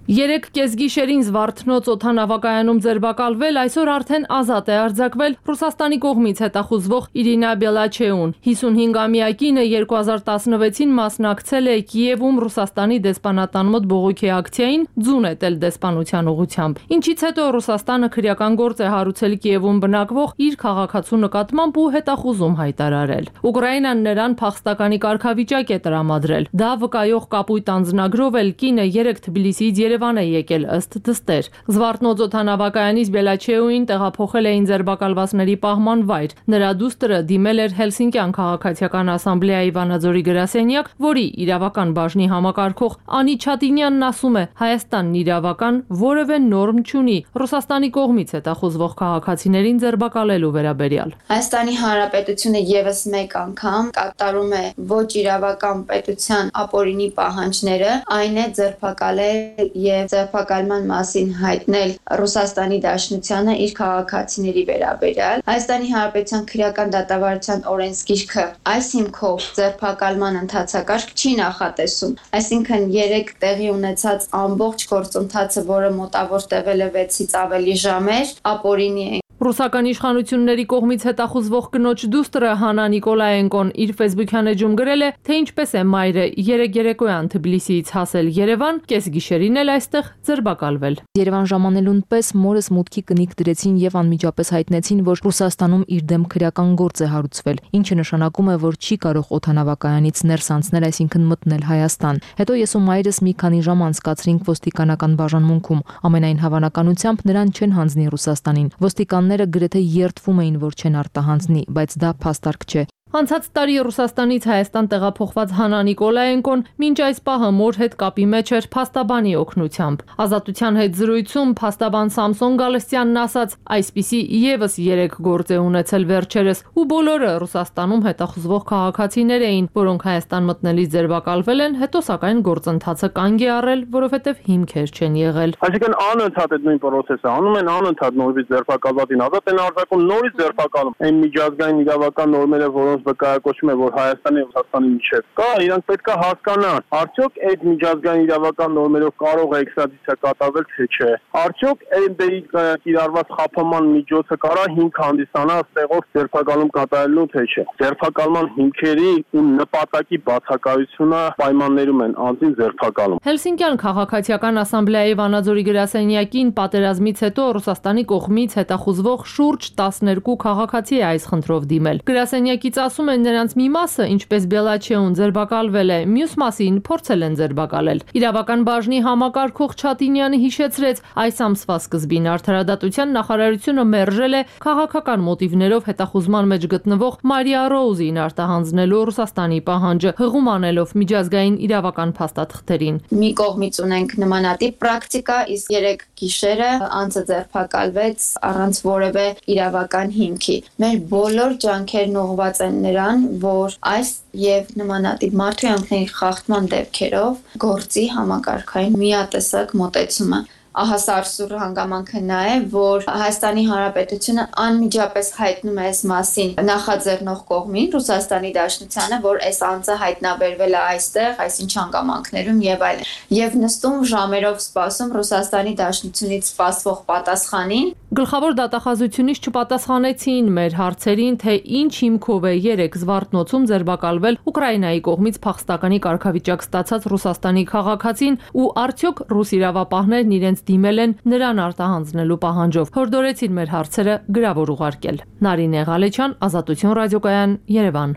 Երեք կեսգիշերին Զվարթնոց օդանավակայանում ձերբակալվել, այսօր արդեն ազատ է արձակվել Ռուսաստանի կողմից հետախուզվող Իրինա Բելաչեուն։ 55-ամյա կինը 2016-ին մասնակցել է Կիևում Ռուսաստանի դեսպանատան մոտ բողոքի ակցիային, ձուն էտել դեսպանության ուղղությամբ։ Ինչից հետո Ռուսաստանը քրեական գործ է հարուցել Կիևում բնակվող իր քաղաքացու նկատմամբ ու հետախուզում հայտարարել։ Ուկրաինան նրան փախստականի կարգավիճակ է տրամադրել։ Դա վկայող կապույտ անձնագրով էլ կինը 3 Թբիլիսիից Երևան է եկել ըստ դստեր։ Զվարթնոց օդանավակայանից Բելաչեուին տեղափոխել էին ձերբակալվածների պահման վայր։ Նրա դուստրը դիմել էր Հելսինկյան քաղաքացիական ասամբլեայի Վանաձորի գրասենյակ, որի իրավական բաժնի համակարգող Անի Չատինյանն ասում է, Հայաստանն իրավական որևէ նորմ չունի Ռուսաստանի կողմից հետախուզվող քաղաքացիներին ձերբակալելու վերաբերյալ։ Հայաստանի Հանրապետությունը եւս մեկ անգամ կատարում է ոչ իրավական պետության ապօրինի պահանջները, այն է ձերբակալել եւ ձերբակալման մասին հայտնել Ռուսաստանի Դաշնությանը իր քաղաքացիների վերաբերյալ։ Հայաստանի Հանրապետության քրեական դատավարության օրենսգիրքը այս հիմքով ձերբակալման ընթացակարգ չի նախատեսում։ Այսինքն 3 տեղի ունեցած ամբողջ գործընթացը, որը մոտավոր տևել է 6-ից ավելի ժամեր, ապօրինի է։ Ռուսական իշխանությունների կողմից հետախուզվող կնոջ դուստրը Հանա Նիկոլաենկոն իր Facebook-յան էջում գրել է, թե ինչպես է մայրը 3 երեկոյան Թբիլիսիից հասել Երևան, կեսգիշերին էլ այստեղ ձերբակալվել։ Երևան ժամանելուն պես մորս մուտքի կնիկ դրեցին եւ անմիջապես հայտնեցին, որ Ռուսաստանում իր դեմ քրեական գործ է հարուցվել, ինչը նշանակում է, որ չի կարող օդանավակայանից ներս անցնել, այսինքն մտնել Հայաստան։ Հետո ես ու մայրս մի քանի ժամ անցկացրինք ոստիկանական բաժանմունքում։ Ամենայն հավանականությամբ նրան չեն հանձնի Ռուսաստանին։ Ոստիկանները գրեթե երդվում էին, որ չեն արտահանձնի, բայց դա փաստարկ չէ։ Անցած տարի Ռուսաստանից Հայաստան տեղափոխված Հանա Նիկոլաենկոն մինչ այս պահը մոր հետ կապի մեջ էր փաստաբանի օգնությամբ։ Ազատության հետ զրույցում փաստաբան Սամսոն Գալստյանն ասաց, այսպիսի եւս 3 գործ է ունեցել վերջերս, ու բոլորը Ռուսաստանում հետախուզվող քաղաքացիներ էին, որոնք Հայաստան մտնելիս ձերբակալվել են, հետո սակայն գործընթացը կանգ է առել, որովհետեւ հիմքեր չեն եղել։ Այսինքն անընդհատ այդ նույն process-ը անում են, անընդհատ նորից ձերբակալվածին ազատ են արձակում, նորից ձերբակալում։ Այն միջազգային իրավական նորմերը, որոնց ոնց վկայակոչում է, որ Հայաստանի եւ Ռուսաստանի միջեւ կա, իրանք պետք է հասկանան, արդյոք այդ միջազգային իրավական նորմերով կարող է էքստրադիցիա կատարվել թե չէ։ Արդյոք ՆԴ-ի կիրառված խափման միջոցը կարա հիմք հանդիսանա ստեղով ձերբակալում կատարելու թե չէ։ Ձերբակալման հիմքերի ու նպատակի բացակայությունը պայմաններում են անձին ձերբակալում։ Հելսինկյան քաղաքացիական ասամբլեայի Վանաձորի գրասենյակին պատերազմից հետո Ռուսաստանի կողմից հետախուզվող շուրջ 12 քաղաքացի է այս խնդրով դիմել։ Գրասենյակից ասում են, նրանց մի մասը, ինչպես Բելաչեուն, ձերբակալվել է, մյուս մասին փորձել են ձերբակալել։ Իրավական բաժնի համակարգող Չատինյանը հիշեցրեց, այս ամսվա սկզբին Արդարադատության նախարարությունը մերժել է քաղաքական մոտիվներով հետախուզման մեջ գտնվող Մարիա Ռոուզին արտահանձնելու Ռուսաստանի պահանջը, հղում անելով միջազգային իրավական փաստաթղթերին։ Մի կողմից ունենք նմանատիպ պրակտիկա, իսկ 3 գիշերը անձը ձերբակալվեց առանց որևէ իրավական հիմքի։ Մեր բոլոր ջանքերն ուղղված են նրան, որ այս եւ նմանատիպ մարդու յանքների խախտման դեպքերով գործի համակարգային միատեսակ մոտեցումը։ Ահա սարսուռ հանգամանքը նա է, որ Հայաստանի Հանրապետությունը անմիջապես հայտնում է այս մասին նախաձեռնող կողմին, Ռուսաստանի Դաշնությանը, որ այս անձը հայտնաբերվել է այստեղ, այսինչ հանգամանքներում եւ այլն։ Եվ նստում ժամերով սպասում Ռուսաստանի Դաշնությունից սպասվող պատասխանին։ Գլխավոր դատախազությունից չպատասխանեցին մեր հարցերին, թե ինչ հիմքով է 3 Զվարթնոցում ձերբակալվել Ուկրաինայի կողմից փախստականի կարգավիճակ ստացած Ռուսաստանի քաղաքացին ու արդյոք ռուս իրավապահներն իրենց դիմել են նրան արտահանձնելու պահանջով։ Հորդորեցին մեր հարցերը գրավոր ուղարկել։ Նարինե Ղալեչյան, Ազատություն ռադիոկայան, Երևան։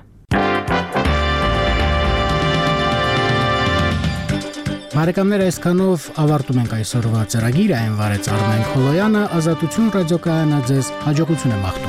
Բարեկամներ, այսքանով ավարտում ենք այսօրվա ծրագիրը, այն վարեց Արմեն Խոլոյանը, Ազատություն ռադիոկայանը ձեզ հաջողություն է մաղթում։